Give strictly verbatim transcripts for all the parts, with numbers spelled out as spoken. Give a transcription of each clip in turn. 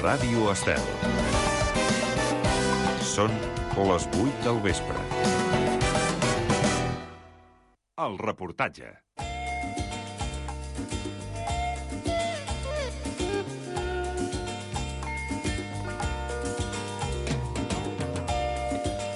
Ràdio Estel. Són les vuit del vespre. El reportatge.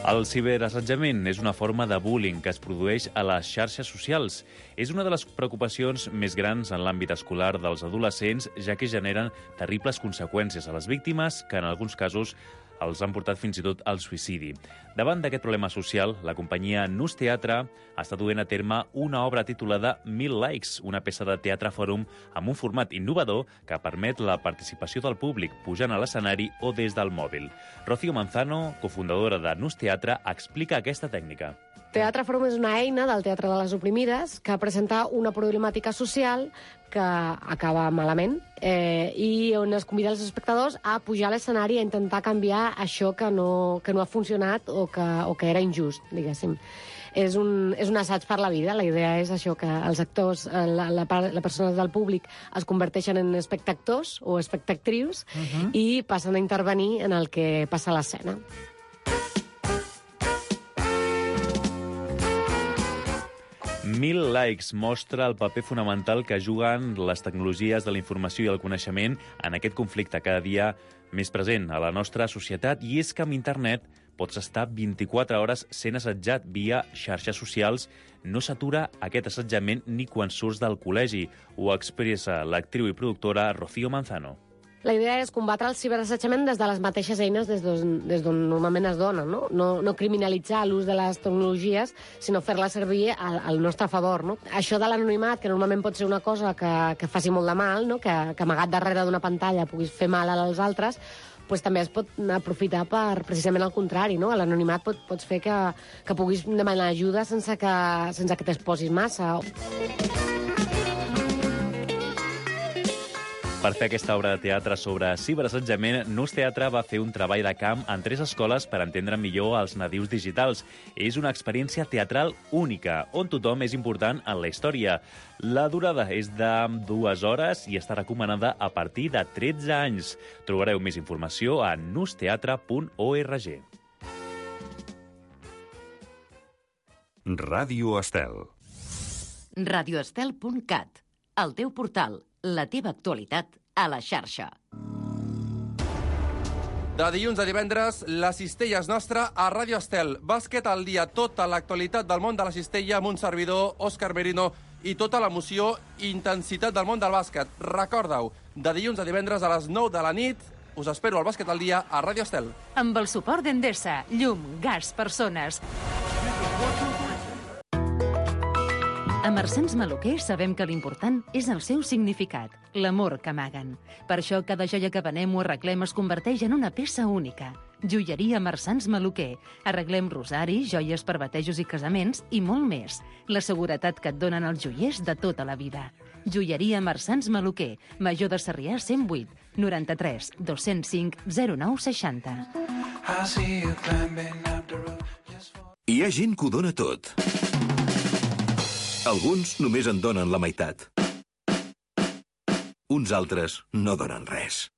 El ciberassetjament és una forma de bullying que es produeix a les xarxes socials. És una de les preocupacions més grans en l'àmbit escolar dels adolescents, ja que generen terribles conseqüències a les víctimes, que en alguns casos els han portat fins i tot al suïcidi. Davant d'aquest problema social, la companyia Nus Teatre està duent a terme una obra titulada Mil Likes, una peça de teatre fòrum amb un format innovador que permet la participació del públic pujant a l'escenari o des del mòbil. Rocío Manzano, cofundadora de Nus Teatre, explica aquesta tècnica. Teatre Fòrum és una eina del Teatre de les Oprimides que presenta una problemàtica social que acaba malament eh, i on es convida els espectadors a pujar a l'escenari a intentar canviar això que no, que no ha funcionat o que, o que era injust, diguéssim. És un, és un assaig per la vida. La idea és això, que els actors, la, la, la persona del públic es converteixen en espectactors o espectactrius uh-huh. i passen a intervenir en el que passa a l'escena. Mil Likes mostra el paper fonamental que juguen les tecnologies de la informació i el coneixement en aquest conflicte cada dia més present a la nostra societat. I és que amb internet pots estar vint-i-quatre hores sent assetjat via xarxes socials. No s'atura aquest assetjament ni quan surts del col·legi. Ho expressa l'actriu i productora Rocío Manzano. La idea és combatre el ciberassetjament des de les mateixes eines des d'on normalment es dona, no? No, no criminalitzar l'ús de les tecnologies, sinó fer-les servir al, al nostre favor, no? Això de l'anonimat, que normalment pot ser una cosa que, que faci molt de mal, no? que, que amagat darrere d'una pantalla puguis fer mal als altres, pues també es pot aprofitar per precisament el contrari, no? L'anonimat pot, pots fer que, que puguis demanar ajuda sense que, sense que t'exposis massa. Per fer aquesta obra de teatre sobre ciberassetjament, Nus Teatre va fer un treball de camp en tres escoles per entendre millor els nadius digitals. És una experiència teatral única, on tothom és important en la història. La durada és de dues hores i està recomanada a partir de tretze anys. Trobareu més informació a nusteatre punt org. Ràdio Estel. radioestel punt cat, el teu portal, la teva actualitat a la xarxa. De dilluns a divendres, la cistella és nostra a Ràdio Estel. Bàsquet al dia, tota l'actualitat del món de la cistella amb un servidor, Òscar Merino, i tota l'emoció i intensitat del món del bàsquet. Recorda-ho, de dilluns a divendres a les nou de la nit, us espero al Bàsquet al dia a Ràdio Estel. Amb el suport d'Endesa, llum, gas, persones. A Marsans Maluquer sabem que l'important és el seu significat, l'amor que amaguen. Per això cada joia que venem o arreglem es converteix en una peça única. Joieria Marsans Maluquer. Arreglem rosaris, joies per batejos i casaments i molt més. La seguretat que et donen els joiers de tota la vida. Joieria Marsans Maluquer. Major de Sarrià cent vuit, noranta-tres, dos-cents cinc, zero nou seixanta. Hi ha gent que ho dona tot. Alguns només en donen la meitat. Uns altres no donen res.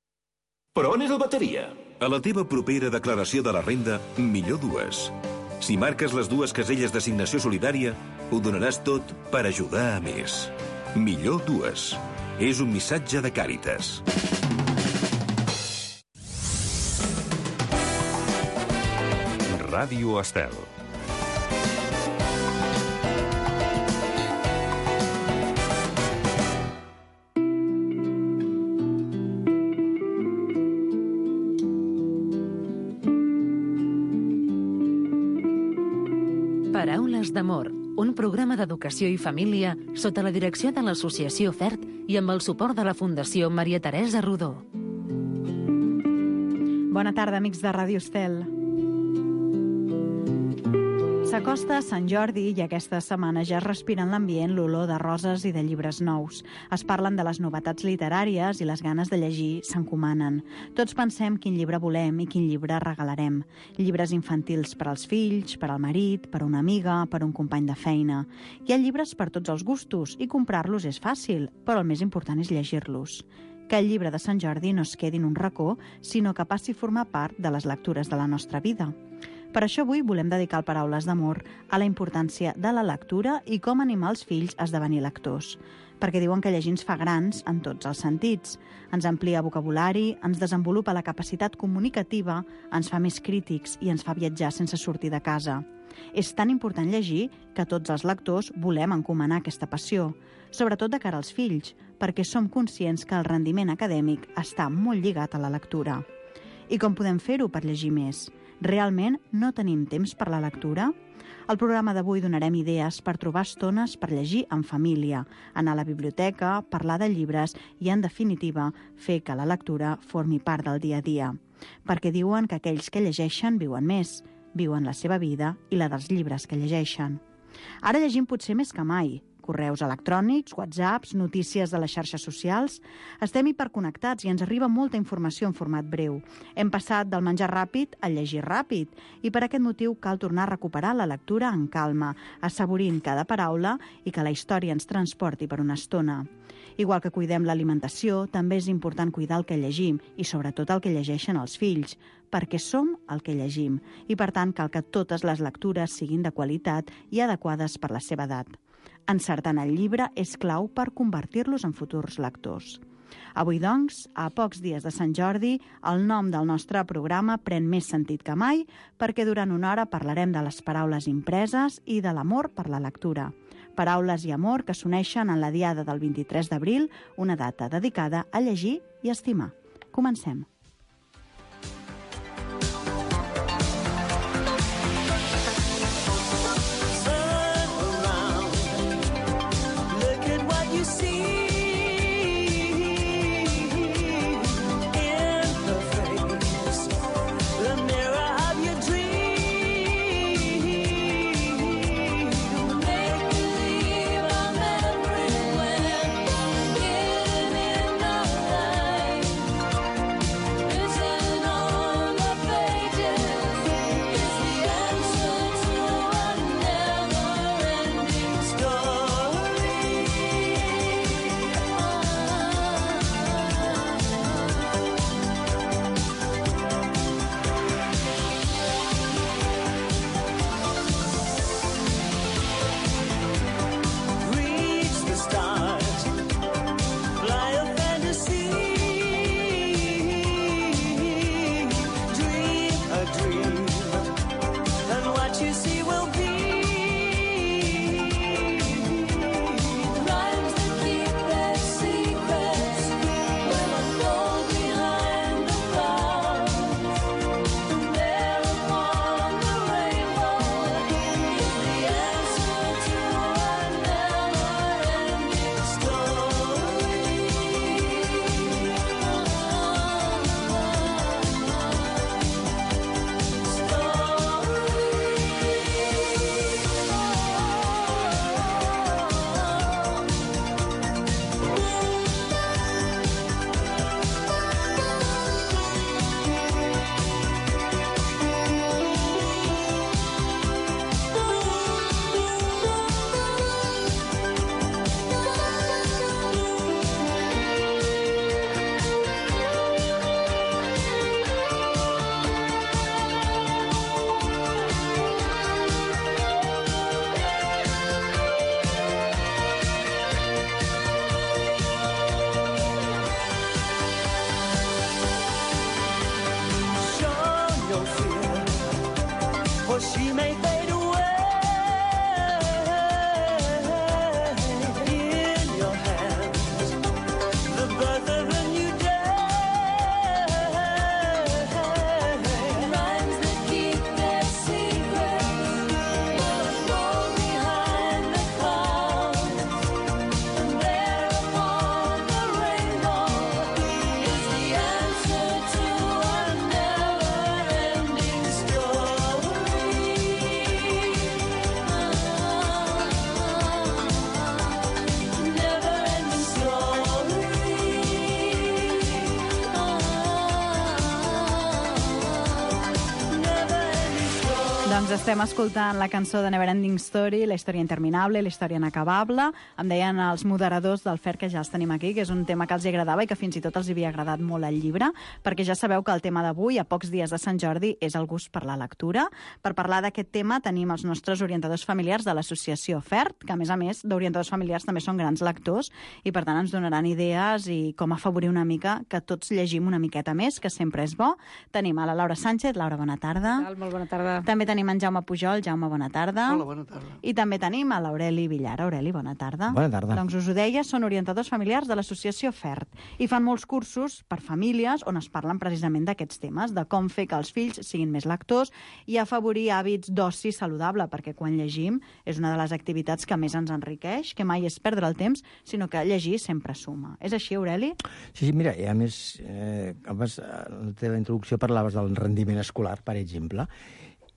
Però on és el bateria? A la teva propera declaració de la renda, millor dues. Si marques les dues caselles d'assignació solidària, ho donaràs tot per ajudar a més. Millor dues. És un missatge de Càritas. Ràdio Estel. Paraules d'amor, un programa d'educació i família sota la direcció de l'Associació FERT i amb el suport de la Fundació Maria Teresa Rodó. Bona tarda, amics de Ràdio Estel. S'acosta Sant Jordi i aquesta setmana ja es respira en l'ambient l'olor de roses i de llibres nous. Es parlen de les novetats literàries i les ganes de llegir s'encomanen. Tots pensem quin llibre volem i quin llibre regalarem. Llibres infantils per als fills, per al marit, per una amiga, per un company de feina. Hi ha llibres per tots els gustos i comprar-los és fàcil, però el més important és llegir-los. que el llibre de Sant Jordi no es quedi en un racó, sinó que passi a formar part de les lectures de la nostra vida. Per això avui volem dedicar el Paraules d'Amor a la importància de la lectura i com animar els fills a esdevenir lectors. Perquè diuen que llegir ens fa grans en tots els sentits. Ens amplia vocabulari, ens desenvolupa la capacitat comunicativa, ens fa més crítics i ens fa viatjar sense sortir de casa. És tan important llegir que tots els lectors volem encomanar aquesta passió, sobretot de cara als fills, perquè som conscients que el rendiment acadèmic està molt lligat a la lectura. I com podem fer-ho per llegir més? Realment no tenim temps per la lectura? Al programa d'avui donarem idees per trobar estones per llegir en família, anar a la biblioteca, parlar de llibres i, en definitiva, fer que la lectura formi part del dia a dia. Perquè diuen que aquells que llegeixen viuen més, viuen la seva vida i la dels llibres que llegeixen. Ara llegim potser més que mai. Correus electrònics, whatsapps, notícies de les xarxes socials. Estem hiperconnectats i ens arriba molta informació en format breu. Hem passat del menjar ràpid al llegir ràpid i per aquest motiu cal tornar a recuperar la lectura en calma, assaborint cada paraula i que la història ens transporti per una estona. Igual que cuidem l'alimentació, també és important cuidar el que llegim i sobretot el que llegeixen els fills, perquè som el que llegim i per tant cal que totes les lectures siguin de qualitat i adequades per la seva edat. Encertant el llibre és clau per convertir-los en futurs lectors. Avui, doncs, a pocs dies de Sant Jordi, el nom del nostre programa pren més sentit que mai perquè durant una hora parlarem de les paraules impreses i de l'amor per la lectura. Paraules i amor que s'uneixen en la diada del vint-i-tres d'abril, una data dedicada a llegir i estimar. Comencem. Doncs estem escoltant la cançó de Neverending Story, la història interminable, la història inacabable. Em deien els moderadors del F E R que ja els tenim aquí, que és un tema que els agradava i que fins i tot els havia agradat molt el llibre, perquè ja sabeu que el tema d'avui, a pocs dies de Sant Jordi, és el gust per la lectura. Per parlar d'aquest tema tenim els nostres orientadors familiars de l'associació F E R, que a més a més d'orientadors familiars també són grans lectors i per tant ens donaran idees i com afavorir una mica que tots llegim una miqueta més, que sempre és bo. Tenim a la Laura Sánchez. Laura, bona tarda. Què tal? Molt bona tarda. També tenim en Jaume Pujol. Jaume, bona tarda. Hola, bona tarda. I també tenim a l'Aureli Villar. Aureli, bona tarda. Bona tarda. Doncs us ho deia, són orientadors familiars de l'associació F E R i fan molts cursos per famílies on es parlen precisament d'aquests temes, de com fer que els fills siguin més lectors i afavorir hàbits d'oci saludable, perquè quan llegim és una de les activitats que més ens enriqueix, que mai és perdre el temps, sinó que llegir sempre suma. És així, Aureli? Sí, sí, mira, i a més, eh, abans, en la teva introducció parlaves del rendiment escolar, per exemple,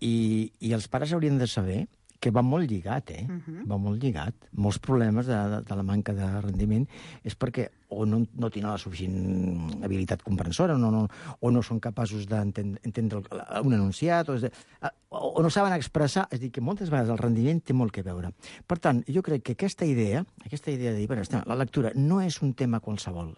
i, i els pares haurien de saber que va molt lligat, eh? Uh-huh. Va molt lligat. Molts problemes de, de, de la manca de rendiment és perquè o no, no tenen la suficient habilitat comprensora, o no, no, o no són capaços d'entendre un enunciat, o, de, o, o no saben expressar. És a dir, que moltes vegades el rendiment té molt que veure. Per tant, jo crec que aquesta idea, aquesta idea de dir, bueno, la lectura no és un tema qualsevol.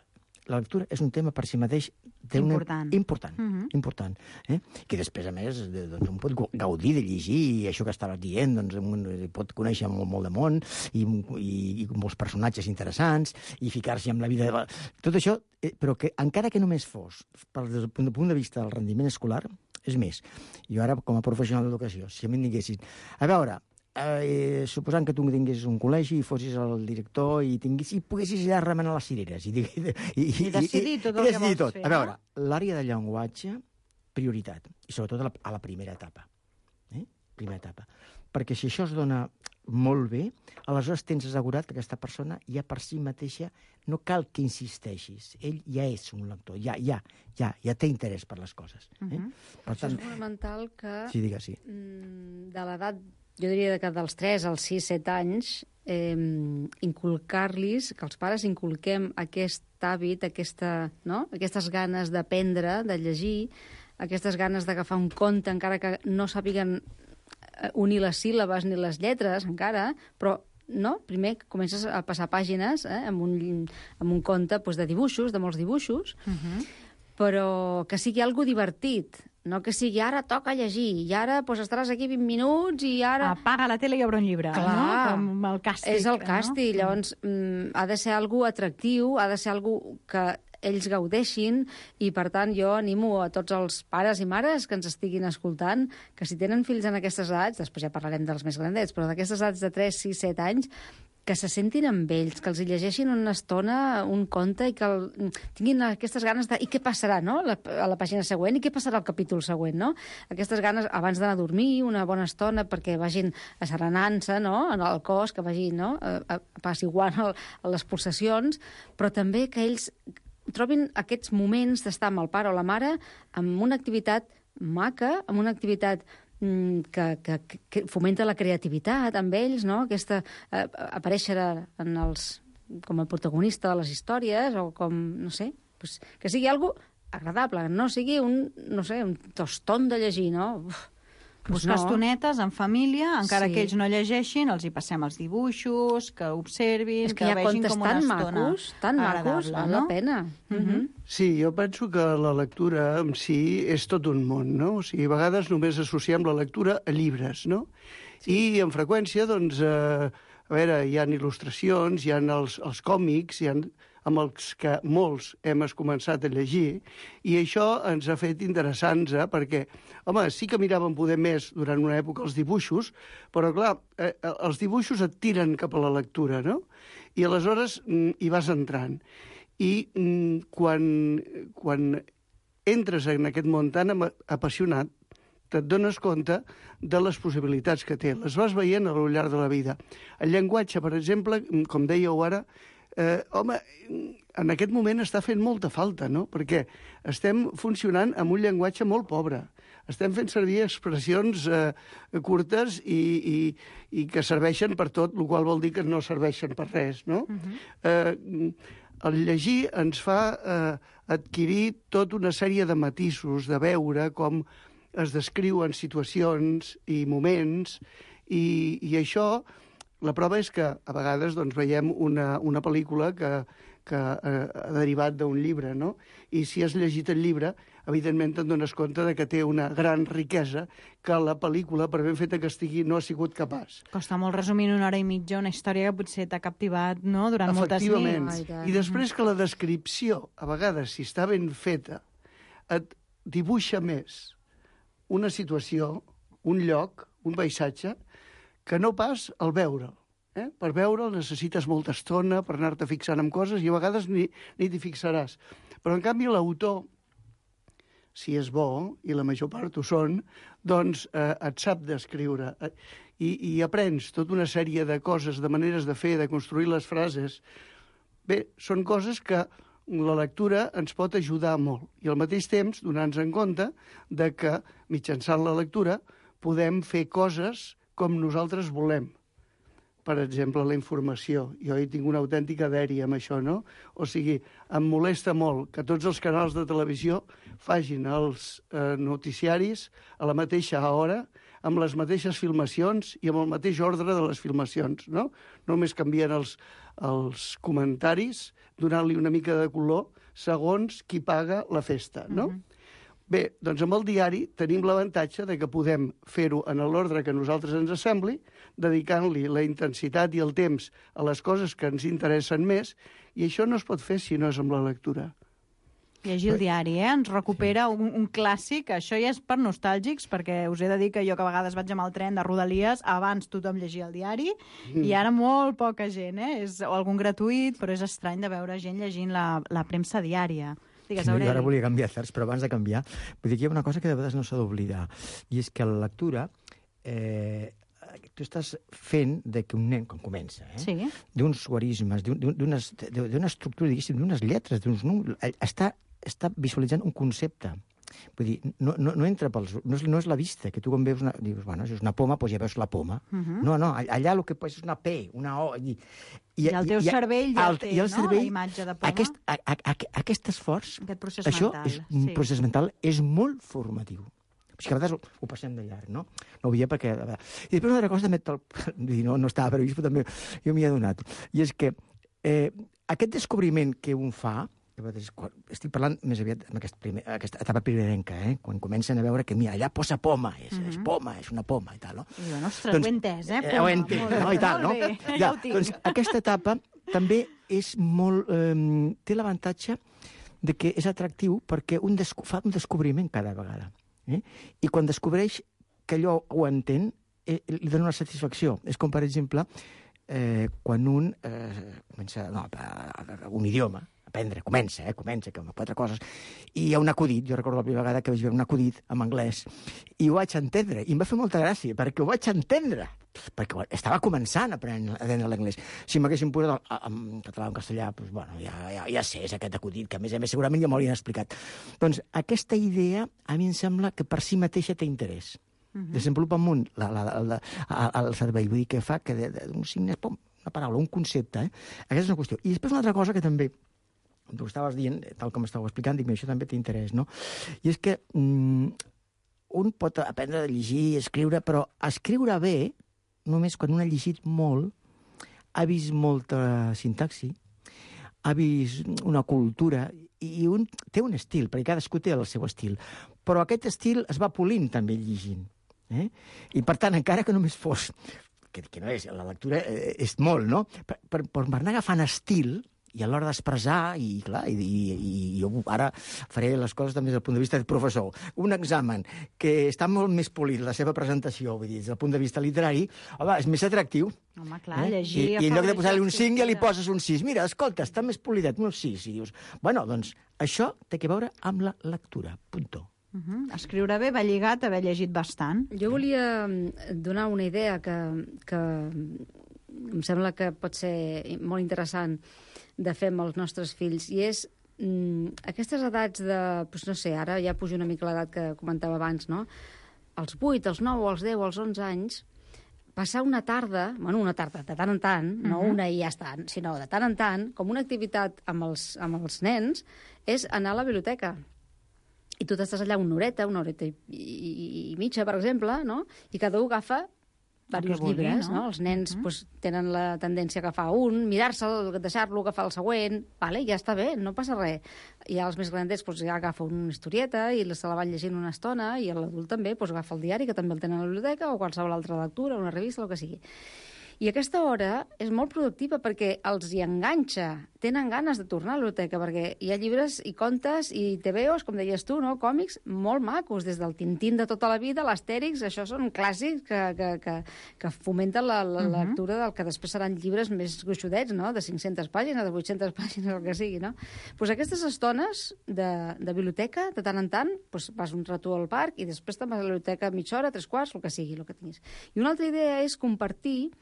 La lectura és un tema per si mateix important. Una... important, uh-huh. important eh? Que després, a més, doncs, un pot gaudir de llegir i això que estaves dient, doncs, un pot conèixer molt, molt de món i, i, i molts personatges interessants i ficar-s'hi amb la vida de la... Tot això, eh, però que encara que només fos des del punt de vista del rendiment escolar, és més, jo ara com a professional d'educació, si a mi em diguessin, a veure, Eh, suposant que tu tinguessis un col·legi i fossis el director i, tinguis, i poguessis allà remenar les cireres i, i, i, i decidir tot el i, i que vols tot. fer. A veure, no? L'àrea de llenguatge, prioritat, i sobretot a la, a la primera etapa. Eh? Primera etapa. Perquè si això es dona molt bé, aleshores tens assegurat que aquesta persona ja per si mateixa no cal que insisteixis. Ell ja és un lector, ja, ja, ja, ja té interès per les coses. Eh? Uh-huh. Per tant, això és fonamental que sí, digues, sí. de l'edat, jo diria que dels tres als sis set anys, eh, inculcar-los, que els pares inculquem aquest hàbit, aquesta, no? Aquestes ganes d'aprendre, de llegir, aquestes ganes d'agafar un conte, encara que no sàpiguen unir les síl·labes ni les lletres encara, però no? Primer comences a passar pàgines eh, amb, un, amb un conte doncs, de dibuixos, de molts dibuixos, uh-huh. però que sigui algo divertit, no que sigui ara toca llegir, i ara doncs, estaràs aquí vint minuts i ara... Apaga la tele i obre un llibre, clar, no? Com el càstig. És el càstig, no? Llavors mm, ha de ser algo atractiu, ha de ser algo que ells gaudeixin i, per tant, jo animo a tots els pares i mares que ens estiguin escoltant que si tenen fills en aquestes edats, després ja parlarem dels més grandets, però d'aquestes edats de tres, sis, set anys, que se sentin amb ells, que els hi llegeixin una estona un conte i que el, tinguin aquestes ganes de... I què passarà, no?, la, a la pàgina següent, i què passarà al capítol següent, no? Aquestes ganes abans d'anar a dormir, una bona estona perquè vagin asserenant-se, no?, en el cos, que vagin, no?, apaciguant el, les pulsacions, però també que ells trobin aquests moments d'estar amb el pare o la mare amb una activitat maca, amb una activitat Que, que, que fomenta la creativitat amb ells, no? Aquesta, eh, aparèixer en els, com a protagonista de les històries, o com, no sé, pues, que sigui algo agradable, no sigui un, no sé, un tostón de llegir, no? Uf, pues buscar no. estonetes en família, encara sí. que ells no llegeixin, els hi passem els dibuixos, que observin, és que, que que vegin com una tan estona macos, tan macos, val la pena. Uh -huh. Sí, jo penso que la lectura en si és tot un món, no? O sigui, a vegades només associem la lectura a llibres, no? Sí. I en freqüència, doncs, eh, a veure, hi ha il·lustracions, hi ha els, els còmics, hi ha amb els que molts hem començat a llegir, i això ens ha fet interessants, eh? Perquè, home, sí que miràvem poder més durant una època els dibuixos, però, clar, eh, els dibuixos et tiren cap a la lectura, no? I aleshores mm, hi vas entrant. I mm, quan, quan entres en aquest món tan apassionat, te't dones compte de les possibilitats que té. Les vas veient al llarg de la vida. El llenguatge, per exemple, com dèieu ara, Eh, home, en aquest moment està fent molta falta, no? Perquè estem funcionant amb un llenguatge molt pobre. Estem fent servir expressions eh, curtes i, i, i que serveixen per tot, el qual vol dir que no serveixen per res, no? Uh-huh. eh, el llegir ens fa eh, adquirir tota una sèrie de matisos, de veure com es descriuen situacions i moments, i, i això, la prova és que a vegades doncs, veiem una, una pel·lícula que, que eh, ha derivat d'un llibre, no? I si has llegit el llibre, evidentment te'n dones compte de que té una gran riquesa que la pel·lícula, per ben feta que estigui, no ha sigut capaç. Costa molt resumir en una hora i mitja una història que potser t'ha captivat, no?, durant moltes nits. Efectivament. I després que la descripció, a vegades, si està ben feta, et dibuixa més una situació, un lloc, un paisatge, que no pas el veure'l. Eh? Per veure'l necessites molta estona per anar-te fixant en coses i a vegades ni, ni t'hi fixaràs. Però, en canvi, l'autor, si és bo, i la major part ho són, doncs eh, et sap descriure eh, i, i aprens tota una sèrie de coses, de maneres de fer, de construir les frases. Bé, són coses que la lectura ens pot ajudar molt i al mateix temps donar-nos en compte de que mitjançant la lectura podem fer coses com nosaltres volem. Per exemple, la informació. Jo hi tinc una autèntica dèria amb això, no? O sigui, em molesta molt que tots els canals de televisió facin els eh, noticiaris a la mateixa hora, amb les mateixes filmacions i amb el mateix ordre de les filmacions, no? Només canvien els, els comentaris, donant-li una mica de color segons qui paga la festa, no? Mm-hmm. Bé, doncs amb el diari tenim l'avantatge de que podem fer-ho en l'ordre que a nosaltres ens sembli, dedicant-li la intensitat i el temps a les coses que ens interessen més, i això no es pot fer si no és amb la lectura. Llegir el diari, eh? Ens recupera un, un clàssic. Això ja és per nostàlgics, perquè us he de dir que jo que a vegades vaig amb el tren de Rodalies, abans tothom llegia el diari, mm. i ara molt poca gent, eh? És o algun gratuït, però és estrany de veure gent llegint la, la premsa diària. Digues, no, jo ara volia canviar certs, però abans de canviar, vull dir que hi ha una cosa que de vegades no s'ha d'oblidar, i és que la lectura, eh, tu estàs fent de que un nen, quan comença, eh, sí. d'uns guarismes, d'una estructura, diguéssim, d'unes lletres, d'uns números, està, està visualitzant un concepte. Vull dir, no, no, no entra pels... No és, no és la vista, que tu quan veus una... Dius, bueno, si és una poma, doncs ja veus la poma. Uh-huh. No, no, allà el que és una P, una O... I, i, I el teu i, cervell ja el, té, el no?, cervell, la imatge de poma. Aquest, a, a, a, aquest esforç, aquest procés això mental, és un sí. procés mental, és molt formatiu. O sigui que a vegades ho, ho passem de llarg, no? No ho veia perquè... I després una altra cosa també... No, no estava previst, però també jo m'hi he adonat. I és que eh, aquest descobriment que un fa... Estic parlant més aviat en aquest primer, aquesta etapa primerenca, eh? Quan comencen a veure que, mira, allà posa poma, és, mm-hmm. és poma, és una poma, i tal, no? I bueno, ostres, doncs, ho he entès, eh? Poma, ho he entès, no? I tal, no? Ja, ja doncs aquesta etapa també és molt... Eh, té l'avantatge de que és atractiu perquè un fa un descobriment cada vegada. Eh? I quan descobreix que allò ho entén, eh, li dona una satisfacció. És com, per exemple, eh, quan un eh, comença no, un idioma, aprendre, comença, eh, comença, que amb quatre coses, i hi ha un acudit, jo recordo la primera vegada que vaig veure un acudit en anglès, i ho vaig entendre, i em va fer molta gràcia, perquè ho vaig entendre, perquè estava començant a aprendre l'anglès. Si m'haguessin posat en català o en castellà, doncs, bueno, ja, ja, ja sé, és aquest acudit, que a més a més segurament ja m'ho haurien explicat. Doncs aquesta idea, a mi em sembla que per si mateixa té interès. Uh-huh. Desenvolupa amunt la, la, la, la, el cervell, vull dir que fa que d'un signe, pom, una paraula, un concepte, eh? Aquesta és una qüestió. I després una altra cosa que també tu estaves dient, tal com estàveu explicant, dic, això també té interès, no? I és que mm, un pot aprendre a llegir i escriure, però escriure bé, només quan un ha llegit molt, ha vist molta sintaxi, ha vist una cultura, i un té un estil, perquè cadascú té el seu estil, però aquest estil es va polint també llegint. Eh? I per tant, encara que només fos, que, que no és, la lectura és molt, no? Per, per, per anar agafant estil, i a l'hora d'expressar, i clar, i, i, i jo ara faré les coses també des del punt de vista de professor. Un examen que està molt més polit, la seva presentació, vull dir, des del punt de vista literari, home, és més atractiu. Home, clar, eh? llegir... I, I en lloc de posar-li un cinc ja li poses un sis. Mira, escolta, està més polidet, un sis. I dius, bueno, doncs això té que veure amb la lectura, punto. Uh-huh. Escriure bé va lligat a haver llegit bastant. Jo volia donar una idea que, que em sembla que pot ser molt interessant de fer amb els nostres fills, i és mm, aquestes edats de, doncs no sé, ara ja pujo una mica l'edat que comentava abans, no? Els vuit, els nou, els deu, els onze anys, passar una tarda, bueno, una tarda de tant en tant, no uh-huh. una i ja està, sinó de tant en tant, com una activitat amb els, amb els nens, és anar a la biblioteca. i tu t'estàs allà una horeta, una horeta i, i, i mitja, per exemple, no? I cada un agafa diversos vulgui, llibres, no? no? Els nens Mm. pues, tenen la tendència a agafar un, mirar-se'l, deixar-lo, agafar el següent, vale? Ja està bé, no passa res. I els més grandets pues, ja agafen una historieta i se la van llegint una estona, i l'adult també pues, agafa el diari, que també el tenen a la biblioteca, o qualsevol altra lectura, una revista, el que sigui. I aquesta hora és molt productiva perquè els hi enganxa, tenen ganes de tornar a la biblioteca, perquè hi ha llibres i contes i tebeos, com deies tu, no? Còmics molt macos, des del Tintín de tota la vida, l'Astèrix, això són clàssics que, que, que, que fomenten la, la uh-huh. lectura del que després seran llibres més gruixudets, no? De cinc-centes pàgines, de vuit-centes pàgines, el que sigui, no? Pues aquestes estones de, de biblioteca, de tant en tant, pues vas un rato al parc i després te'n vas a la biblioteca mitja hora, tres quarts, el que sigui, el que tinguis. I una altra idea és compartir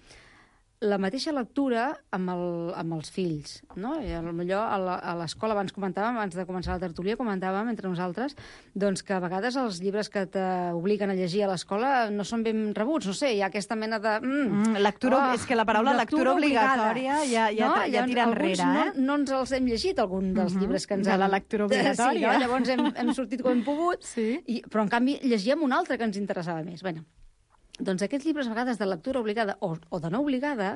la mateixa lectura amb, el, amb els fills, no? I potser a l'escola, abans comentàvem, abans de començar la tertúlia, comentàvem entre nosaltres doncs que a vegades els llibres que t'obliguen a llegir a l'escola no són ben rebuts, no sé, hi ha aquesta mena de... Mm, mm, lectura, oh, és que la paraula lectura, lectura obligatòria ja, ja, no? ja tira enrere, eh? No, no ens els hem llegit, algun dels uh-huh. llibres que ens de han... la lectura obligatòria. Sí, no? Llavors hem, hem sortit com hem pogut, sí. i, però en canvi llegíem un altre que ens interessava més. Bueno, doncs aquests llibres a vegades de lectura obligada o, o de no obligada,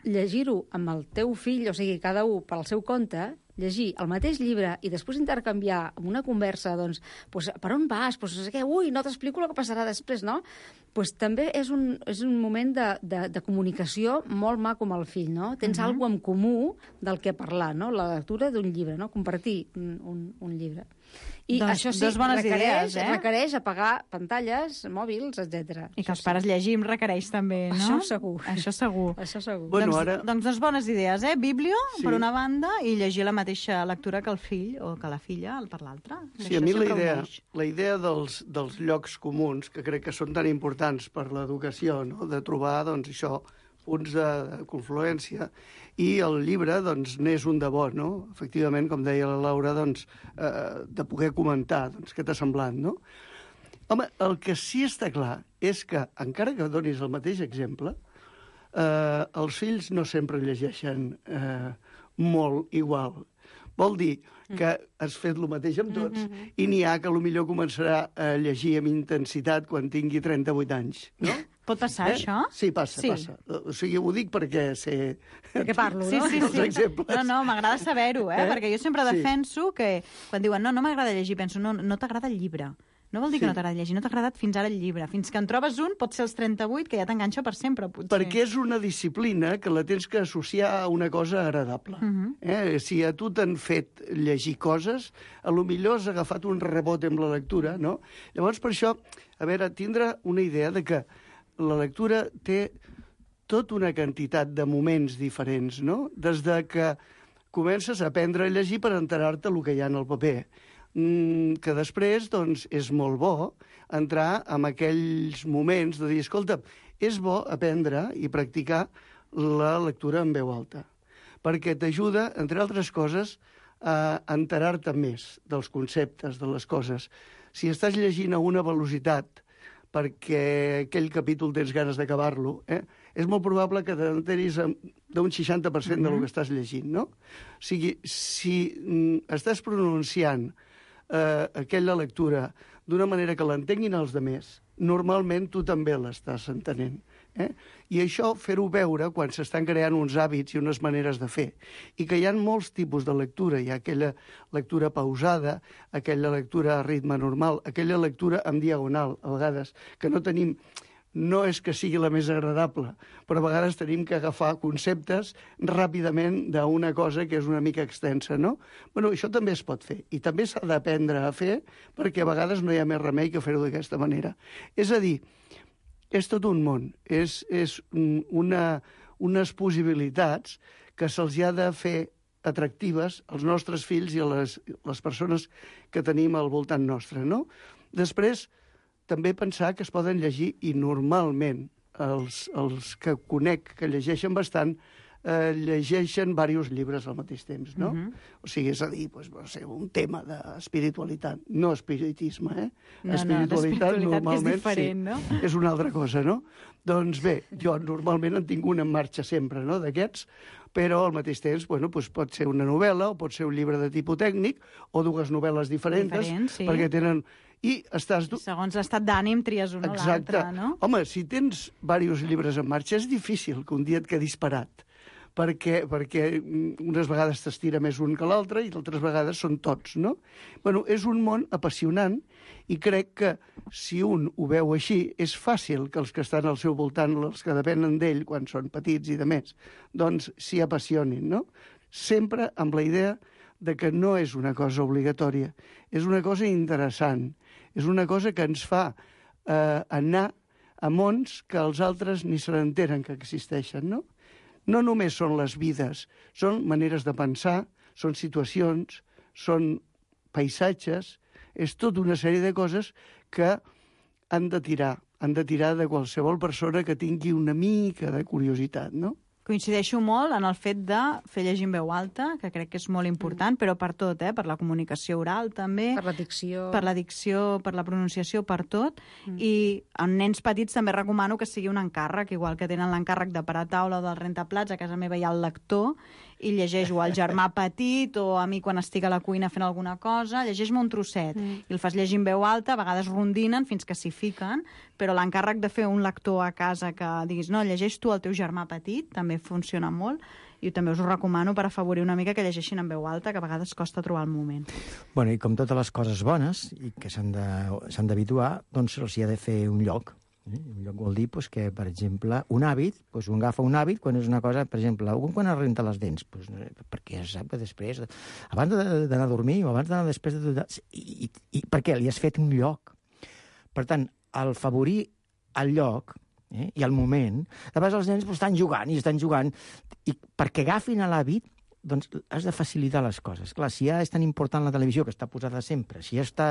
llegir-ho amb el teu fill, o sigui, cada un pel seu compte, llegir el mateix llibre i després intercanviar amb una conversa, doncs, pues, per on vas? Pues, no sé què, ui, no t'explico el que passarà després, no? Pues, també és un, és un moment de, de, de comunicació molt maco amb el fill, no? Tens uh-huh. alguna cosa en comú del que parlar, no? La lectura d'un llibre, no? Compartir un, un, un llibre. I doncs, això sí, dos bones requereix, idees, eh? requereix apagar pantalles, mòbils, etcètera. I que els pares llegim requereix també, no? Això segur. Això segur. Això segur. Bueno, doncs, ara... doncs dos bones idees, eh? Biblio, sí. per una banda, i llegir la mateixa lectura que el fill o que la filla per l'altra. Sí, a mi la idea, la idea dels, dels llocs comuns, que crec que són tan importants per l'educació, no? De trobar, doncs, això, punts de, de confluència, i el llibre, doncs, n'és un de bo, no? Efectivament, com deia la Laura, doncs, eh, de poder comentar, doncs, què t'ha semblat, no? Home, el que sí està clar és que, encara que donis el mateix exemple, eh, els fills no sempre llegeixen eh, molt igual. Vol dir que has fet el mateix amb tots mm-hmm. i n'hi ha que potser començarà a llegir amb intensitat quan tingui trenta-vuit anys, no? Pot passar, eh? això? Sí, passa, sí. passa. O sigui, ho dic perquè sé... Perquè parlo, sí, no? Sí, sí, sí. No, no, m'agrada saber-ho, eh? eh? Perquè jo sempre defenso sí. que quan diuen no, no m'agrada llegir, penso, no, no t'agrada el llibre. No vol dir sí. que no t'agrada llegir, no t'ha agradat fins ara el llibre. Fins que en trobes un, pot ser els trenta-vuit, que ja t'enganxa per sempre, potser. Perquè és una disciplina que la tens que associar a una cosa agradable. Uh-huh. eh? Si a tu t'han fet llegir coses, a lo millor has agafat un rebot amb la lectura, no? Llavors, per això, a veure, tindre una idea de que la lectura té tota una quantitat de moments diferents, no? Des de que comences a aprendre a llegir per enterar-te el que hi ha en el paper, mm, que després, doncs, és molt bo entrar en aquells moments de dir, escolta, és bo aprendre i practicar la lectura en veu alta, perquè t'ajuda, entre altres coses, a enterar-te més dels conceptes, de les coses. Si estàs llegint a una velocitat perquè aquell capítol tens ganes d'acabar-lo, eh? és molt probable que t'enteris d'un seixanta per cent mm-hmm. del que estàs llegint, no? O sigui, si mm, estàs pronunciant eh, aquella lectura d'una manera que l'entenguin els demés, normalment tu també l'estàs entenent. Eh? I això, fer-ho veure quan s'estan creant uns hàbits i unes maneres de fer. I que hi ha molts tipus de lectura. Hi ha aquella lectura pausada, aquella lectura a ritme normal, aquella lectura en diagonal, a vegades, que no tenim... No és que sigui la més agradable, però a vegades tenim que agafar conceptes ràpidament d'una cosa que és una mica extensa, no? Bueno, això també es pot fer, i també s'ha d'aprendre a fer, perquè a vegades no hi ha més remei que fer-ho d'aquesta manera. És a dir, és tot un món, és, és una, unes possibilitats que se'ls ha de fer atractives als nostres fills i a les, les persones que tenim al voltant nostre, no? Després, també pensar que es poden llegir, i normalment els, els que conec que llegeixen bastant, eh, llegeixen diversos llibres al mateix temps, no? Uh-huh. O sigui, és a dir, pues, no sé, un tema d'espiritualitat, no espiritisme, eh? No, espiritualitat, no, normalment, és diferent, sí, no? És una altra cosa, no? Doncs bé, jo normalment en tinc un en marxa sempre, no?, d'aquests, però al mateix temps bueno, doncs pot ser una novel·la o pot ser un llibre de tipus tècnic o dues novel·les diferents, Diferents, sí. perquè tenen... I estàs... Segons l'estat d'ànim tries una o l'altra, no? Home, si tens diversos llibres en marxa, és difícil que un dia et quedis parat, perquè, perquè unes vegades t'estira més un que l'altre i altres vegades són tots, no? Bueno, és un món apassionant i crec que si un ho veu així, és fàcil que els que estan al seu voltant, els que depenen d'ell quan són petits i de més, doncs s'hi apassionin, no? Sempre amb la idea de que no és una cosa obligatòria, és una cosa interessant, és una cosa que ens fa eh, anar a mons que els altres ni se n'enteren que existeixen, no? No només són les vides, són maneres de pensar, són situacions, són paisatges, és tota una sèrie de coses que han de tirar, han de tirar de qualsevol persona que tingui una mica de curiositat, no? Coincideixo molt en el fet de fer llegir en veu alta, que crec que és molt important, mm. però per tot, eh? Per la comunicació oral també. Per la dicció. Per la dicció, per la pronunciació, per tot. Mm. I en nens petits també recomano que sigui un encàrrec, igual que tenen l'encàrrec de parar taula o del rentaplats, a casa meva hi ha el lector, i llegeix o al germà petit o a mi quan estic a la cuina fent alguna cosa, llegeix-me un trosset. Mm. I el fas llegir en veu alta, a vegades rondinen fins que s'hi fiquen, però l'encàrrec de fer un lector a casa que diguis, no, llegeix tu al teu germà petit, també funciona molt, i també us ho recomano per afavorir una mica que llegeixin en veu alta, que a vegades costa trobar el moment. Bueno, i com totes les coses bones i que s'han d'habituar, doncs se'ls hi ha de fer un lloc. Eh? Un lloc vol dir pues, que, per exemple, un hàbit, pues, un agafa un hàbit quan és una cosa, per exemple, algun quan es renta les dents, pues, perquè sap que després, abans d'anar a dormir o abans d'anar després de... I, i, I per què? Li has fet un lloc. Per tant, al favorir el lloc eh, i el moment, de vegades els nens pues, estan jugant i estan jugant, i perquè agafin l'hàbit, doncs has de facilitar les coses. Clar, si ja és tan important la televisió, que està posada sempre, si ja, està,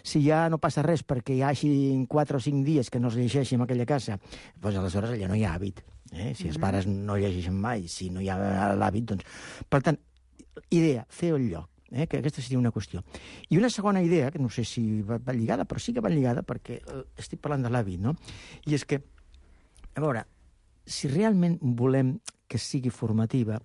si ja no passa res perquè hi hagi quatre o cinc dies que no es llegeixi en aquella casa, doncs aleshores allà no hi ha hàbit. Eh? Si els pares no llegeixen mai, si no hi ha l'hàbit, doncs... Per tant, idea, fer el lloc. Eh? Que aquesta seria una qüestió. I una segona idea, que no sé si va, va lligada, però sí que va lligada perquè eh, estic parlant de l'hàbit, no? I és que, a veure, si realment volem que sigui formativa,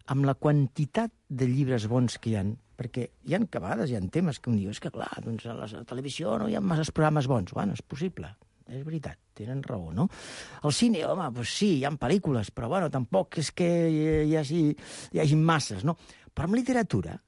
amb la quantitat de llibres bons que hi ha, perquè hi ha que a vegades hi ha temes que un diu, és que clar, doncs a la televisió no hi ha massa programes bons. Bueno, és possible, és veritat, tenen raó, no? Al cine, home, doncs sí, hi ha pel·lícules, però bueno, tampoc és que hi hagi, hi hagi masses, no? Però amb literatura,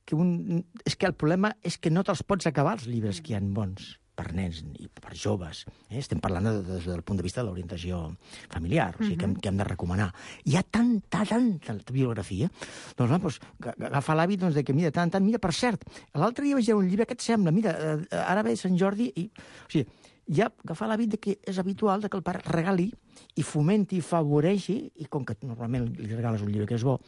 que un, és que el problema és que no te'ls pots acabar els llibres que hi ha bons per nens i per joves. Eh? Estem parlant des de, del punt de vista de l'orientació familiar, o sigui, uh -huh. que, hem, que hem de recomanar. Hi ha tanta, tanta bibliografia, doncs, va, doncs agafa l'hàbit doncs, de que, mira, tant, tant, mira, per cert, l'altre dia vaig llegir un llibre, què et sembla? Mira, eh, ara ve Sant Jordi, i... O sigui, ja agafar l'hàbit de que és habitual de que el pare regali i fomenti, favoreixi, i com que normalment li regales un llibre que és bo,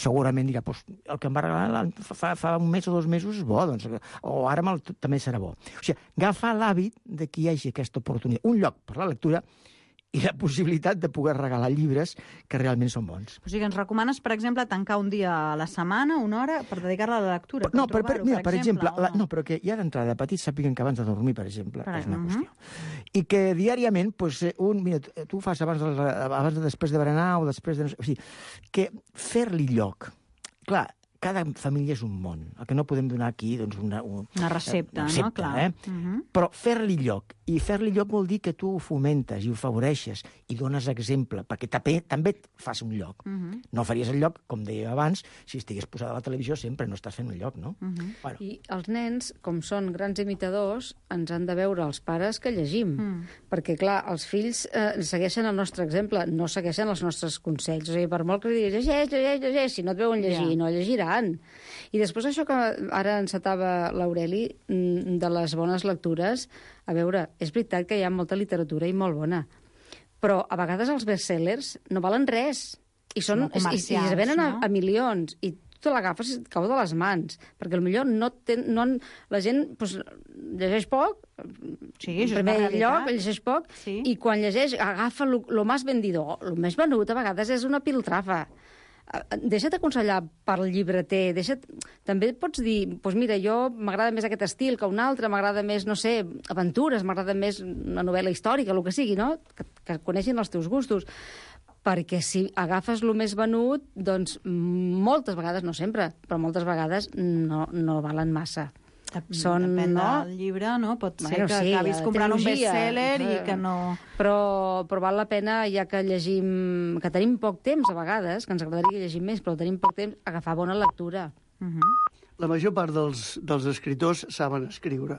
segurament dirà, pues, el que em va regalar fa, fa un mes o dos mesos és bo, doncs, o ara el, també serà bo. O sigui, agafar l'hàbit de que hi hagi aquesta oportunitat, un lloc per la lectura i la possibilitat de poder regalar llibres que realment són bons. O sigui, ens recomanes, per exemple, tancar un dia a la setmana, una hora, per dedicar-la a la lectura? No, per, per, mira, per exemple, exemple la, no, però que ja d'entrada petits sàpiguen que abans de dormir, per exemple, per és una uh -huh. qüestió. I que diàriament, pues, un, mira, tu ho fas abans de, abans de després de berenar o després de... O sigui, que fer-li lloc. Clar, cada família és un món. El que no podem donar aquí, doncs, una... Una, una recepta, una recepta, no? Clar. Eh? Uh -huh. Però fer-li lloc. I fer-li lloc vol dir que tu ho fomentes i ho favoreixes i dones exemple, perquè també, també et fas un lloc. Uh -huh. No faries el lloc, com deia abans, si estigués posada a la televisió sempre no estàs fent un lloc, no? Uh -huh. Bueno. I els nens, com són grans imitadors, ens han de veure els pares que llegim. Mm. Perquè, clar, els fills eh, segueixen el nostre exemple, no segueixen els nostres consells. O sigui, per molt que diguis, llegeix, llegeix, llegeix, si no et veuen llegir, yeah. no llegiran. I després això que ara encetava l'Aureli, de les bones lectures, a veure, és veritat que hi ha molta literatura i molt bona, però a vegades els bestsellers no valen res, i, són, i, i es venen no? a, a milions, i tu te l'agafes i et cau de les mans, perquè potser no ten, no, la gent pues, llegeix poc, sí, en primer lloc llegeix poc, sí. i quan llegeix agafa el més vendidor, el més venut a vegades és una piltrafa. Deixa't aconsellar pel llibreter, deixa't... També pots dir, doncs mira, jo m'agrada més aquest estil que un altre, m'agrada més, no sé, aventures, m'agrada més una novel·la històrica, el que sigui, no? Que, que coneixin els teus gustos. perquè si agafes el més venut, doncs moltes vegades, no sempre, però moltes vegades no, no valen massa. Són, Depèn no? del llibre, no? Pot ser bueno, que sí, acabis comprant un best-seller i que no... Però, però val la pena, ja que llegim... que tenim poc temps, a vegades, que ens agradaria que llegim més, però tenim poc temps, agafar bona lectura. Uh-huh. La major part dels, dels escriptors saben escriure.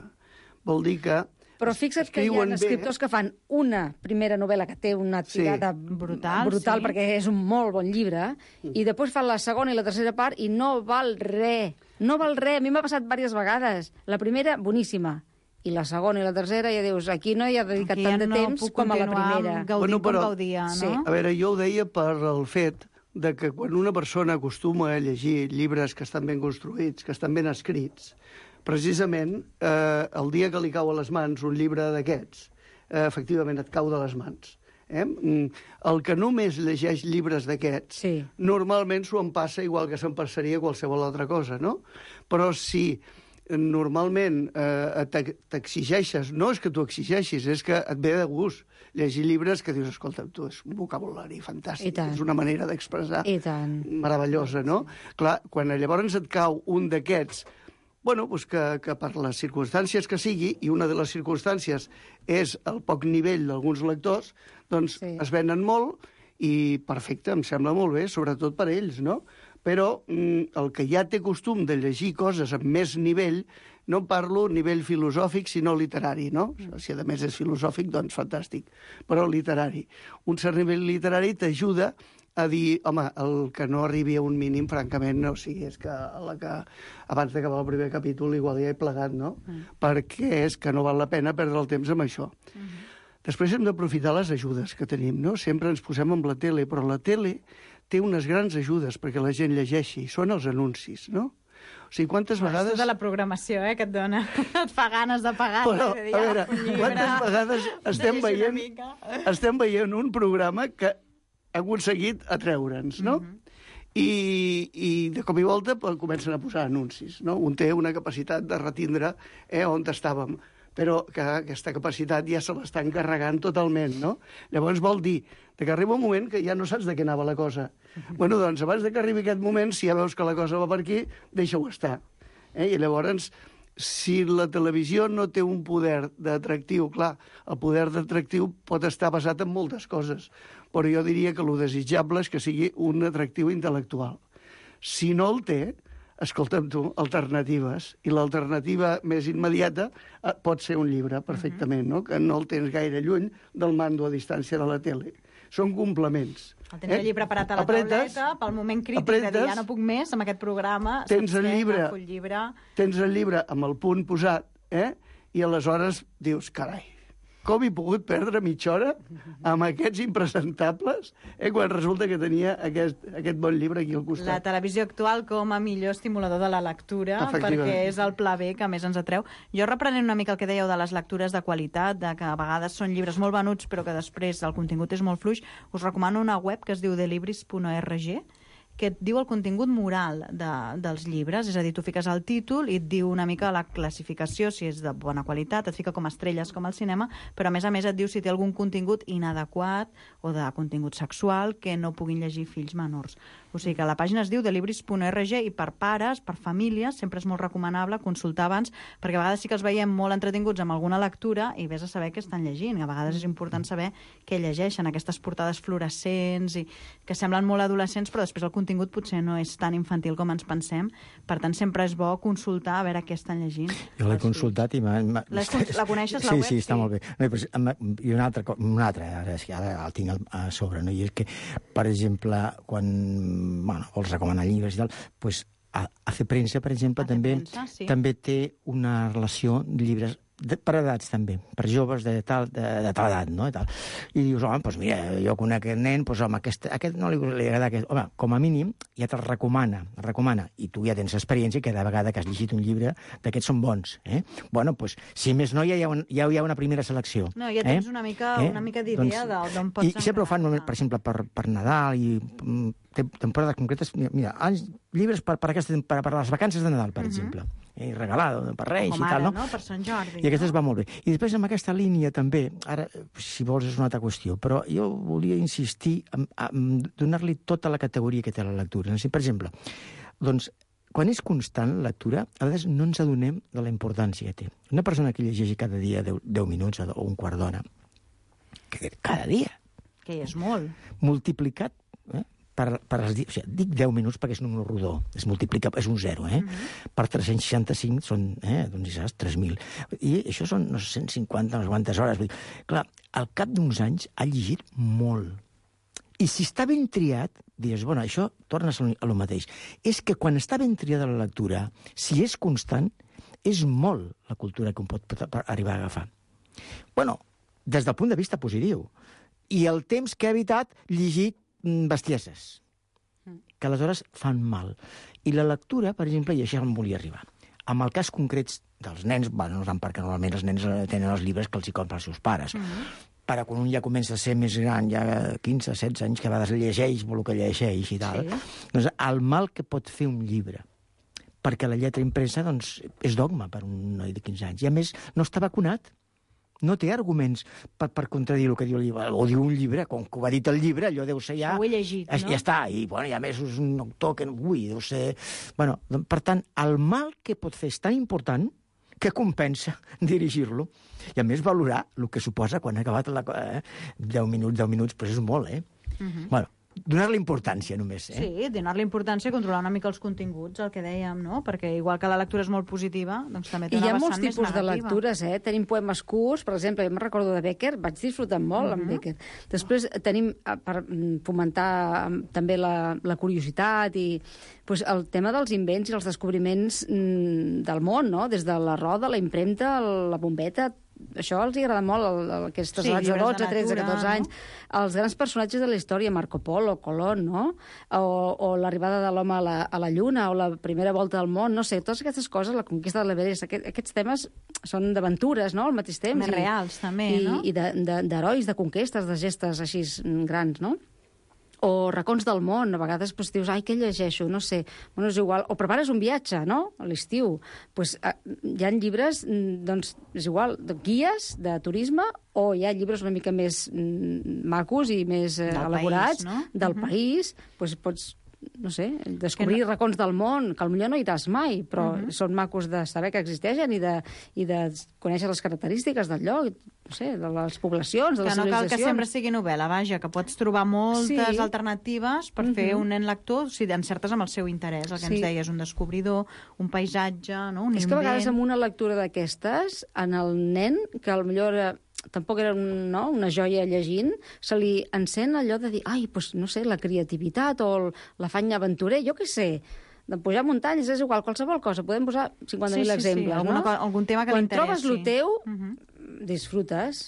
Vol dir que... Però fixa't que hi ha escriptors bé. que fan una primera novel·la que té una tirada sí. brutal, brutal sí. perquè és un molt bon llibre, mm. i després fan la segona i la tercera part i no val res. No val res. A mi m'ha passat diverses vegades. La primera, boníssima. I la segona i la tercera ja dius, aquí no hi ha dedicat aquí tant ja de no temps com a la primera. Gaudir bueno, però, com gaudia, no? Sí. A veure, jo ho deia per el fet de que quan una persona acostuma a llegir llibres que estan ben construïts, que estan ben escrits, precisament, eh, el dia que li cau a les mans un llibre d'aquests, eh, efectivament et cau de les mans. Eh? El que només llegeix llibres d'aquests, sí. normalment s'ho en passa igual que se'n passaria qualsevol altra cosa, no? Però si normalment eh, t'exigeixes, no és que t'ho exigeixis, és que et ve de gust llegir llibres que dius, escolta, tu, és un vocabulari fantàstic, és una manera d'expressar meravellosa, no? Clar, quan llavors et cau un d'aquests, bueno, doncs que, que per les circumstàncies que sigui, i una de les circumstàncies és el poc nivell d'alguns lectors, doncs sí. es venen molt i perfecte, em sembla molt bé, sobretot per ells, no? Però mm, el que ja té costum de llegir coses amb més nivell, no parlo nivell filosòfic, sinó literari, no? Si a més és filosòfic, doncs fantàstic, però literari. Un cert nivell literari t'ajuda a dir, home, el que no arribi a un mínim, francament, no, o sigui, és que, la que abans d'acabar el primer capítol igual ja he plegat, no? Mm. Perquè és que no val la pena perdre el temps amb això. Mm -hmm. Després hem d'aprofitar les ajudes que tenim, no? Sempre ens posem amb la tele, però la tele té unes grans ajudes perquè la gent llegeixi, són els anuncis, no? O sigui, quantes Però vegades... És de la programació, eh, que et dona. Et fa ganes de pagar. Però, de dir, a veure, quantes vegades estem veient, estem veient un programa que ha aconseguit atreure'ns, no? Mm-hmm. I, i de cop i volta comencen a posar anuncis, no? Un té una capacitat de retindre eh, on estàvem, però que aquesta capacitat ja se l'està encarregant totalment, no? Llavors vol dir que arriba un moment que ja no saps de què anava la cosa. Mm-hmm. Bueno, doncs, abans de que arribi aquest moment, si ja veus que la cosa va per aquí, deixa-ho estar. Eh? I llavors, si la televisió no té un poder d'atractiu, clar, el poder d'atractiu pot estar basat en moltes coses, però jo diria que el desitjable és que sigui un atractiu intel·lectual. Si no el té, escolta'm tu, alternatives, i l'alternativa més immediata eh, pot ser un llibre, perfectament, no? Que no el tens gaire lluny del mando a distància de la tele. Són complements. El tens eh? allí preparat a la apretes, tauleta, pel moment crític apretes, de dir ja no puc més amb aquest programa. Tens el llibre, el llibre, tens el llibre amb el punt posat, eh? I aleshores dius, carai, com he pogut perdre mitja hora amb aquests impresentables eh, quan resulta que tenia aquest, aquest bon llibre aquí al costat. La televisió actual com a millor estimulador de la lectura, perquè és el pla B que més ens atreu. Jo reprenent una mica el que dèieu de les lectures de qualitat, de que a vegades són llibres molt venuts però que després el contingut és molt fluix, us recomano una web que es diu delibris punt org, que et diu el contingut moral de, dels llibres, és a dir, tu fiques el títol i et diu una mica la classificació, si és de bona qualitat, et fica com estrelles com al cinema, però a més a més et diu si té algun contingut inadequat o de contingut sexual que no puguin llegir fills menors. O sigui que la pàgina es diu delibris punt org i per pares, per famílies, sempre és molt recomanable consultar abans, perquè a vegades sí que els veiem molt entretinguts amb alguna lectura i vés a saber què estan llegint. A vegades és important saber què llegeixen, aquestes portades fluorescents i que semblen molt adolescents, però després el contingut potser no és tan infantil com ens pensem. Per tant, sempre és bo consultar a veure què estan llegint. Jo l'he consultat i m'ha... La coneixes, la sí, web? Sí, està sí. molt bé. No, però, I una altra, una altra ara, ara el tinc a sobre, no? I és que, per exemple, quan bueno, vols recomanar llibres i tal, doncs Hace Premsa, per exemple, també, premsa, sí. també té una relació de llibres de, per edats, també, per joves de tal, de, de tal edat, no? I, tal. I dius, home, doncs mira, jo conec aquest nen, doncs home, aquest, aquest no li, li agrada aquest... Home, com a mínim, ja te'l recomana, recomana, i tu ja tens experiència, i cada vegada que has llegit un llibre d'aquests són bons. Eh? Bueno, doncs, si més no, ja hi ha, un, ja hi ha una primera selecció. No, ja tens eh? una mica, eh? una mica d'idea doncs, d'on pots... I sempre ho fan, per exemple, per, per Nadal i temporades concretes. Mira, anys, llibres per, per, aquesta, per, per les vacances de Nadal, per uh-huh. exemple. Eh, regalado, per Reis com i tal, ara, no? no? Per Sant Jordi. I aquestes no? va molt bé. I després amb aquesta línia també, ara, si vols, és una altra qüestió, però jo volia insistir en, en donar-li tota la categoria que té la lectura. Per exemple, doncs, quan és constant la lectura, a vegades no ens adonem de la importància que té. Una persona que llegeix cada dia deu minuts o un quart d'hora, que cada dia... Que és molt. Multiplicat, eh? Per, per els dies, o sigui, dic deu minuts perquè és un número rodó, es multiplica, és un zero, eh? Uh-huh. Per tres-cents seixanta-cinc són, eh, doncs, saps, tres mil. I això són, no sé, cent cinquanta, no sé quantes hores. Vull dir, clar, al cap d'uns anys ha llegit molt. I si està ben triat, dius, bueno, això tornes a lo mateix. És que quan està ben triada la lectura, si és constant, és molt la cultura que un pot arribar a agafar. Bueno, des del punt de vista positiu. I el temps que ha evitat llegir bestieses, que aleshores fan mal. I la lectura, per exemple, i això em volia arribar, amb el cas concret dels nens, bueno, no tant perquè normalment els nens tenen els llibres que els hi compren els seus pares, mm-hmm. però quan un ja comença a ser més gran, ja quinze, setze anys, que a vegades llegeix el que llegeix i tal, sí. Doncs el mal que pot fer un llibre, perquè la lletra impresa doncs, és dogma per un noi de quinze anys, i a més no està vacunat, no té arguments per, per contradir el que diu el llibre. O diu un llibre, com que ho ha dit el llibre, allò deu ser ja... Ho he llegit, no? Ja està, i, bueno, i a més és un autor que... Ui, deu ser... Bueno, doncs, per tant, el mal que pot fer és tan important que compensa dirigir-lo. I a més valorar el que suposa quan ha acabat la... Eh, deu minuts, deu minuts, però és molt, eh? Uh-huh. Bueno, donar-li importància, només, eh? Sí, donar-li importància, controlar una mica els continguts, el que dèiem, no? Perquè igual que la lectura és molt positiva, doncs també té una vessant més negativa. I hi ha molts tipus de lectures, eh? Tenim poemes curts, per exemple, jo me'n recordo de Becker, vaig disfrutar molt uh-huh. amb Becker. Després tenim, per fomentar també la, la curiositat i pues, el tema dels invents i els descobriments mm, del món, no? Des de la roda, la impremta, la bombeta, això els agrada molt, el, el, aquestes edats de dotze, tretze, catorze anys. No? Els grans personatges de la història, Marco Polo, Colón, no? O, o l'arribada de l'home a, la, a la Lluna, o la primera volta del món, no sé, totes aquestes coses, la conquista de l'Everest, aquest, aquests temes són d'aventures, no?, al mateix temps. Més i, reals, també, i, no? I d'herois, de, de conquestes, de gestes així grans, no? O racons del món, a vegades pues, dius, ai, què llegeixo? No sé, bueno, és igual. O prepares un viatge, no?, a l'estiu. Pues, eh, hi ha llibres, doncs, és igual, de guies de turisme, o hi ha llibres una mica més mm, macos i més eh, elaborats, país, no? del uh-huh. país, pues, pots, no sé, descobrir no... racons del món, que potser no hi iràs mai, però uh-huh. són macos de saber que existeixen i de, i de conèixer les característiques del lloc, no sé, de les poblacions, de les civilitzacions. Que no cal que sempre sigui novel·la, vaja, que pots trobar moltes sí. alternatives per uh-huh. fer un nen lector si encertes amb el seu interès, el que sí. ens deies, un descobridor, un paisatge, no? Un És invent. Que a vegades amb una lectura d'aquestes, en el nen, que potser era, tampoc era un, no, una joia llegint, se li encén allò de dir, ai, doncs, no sé, la creativitat o l'afany aventurer, jo què sé, de pujar muntanyes, és igual, qualsevol cosa, podem posar cinquanta mil sí, sí, exemples, sí. Alguna, no? Algun tema que Quan l'interessi. trobes el teu, uh-huh. disfrutes.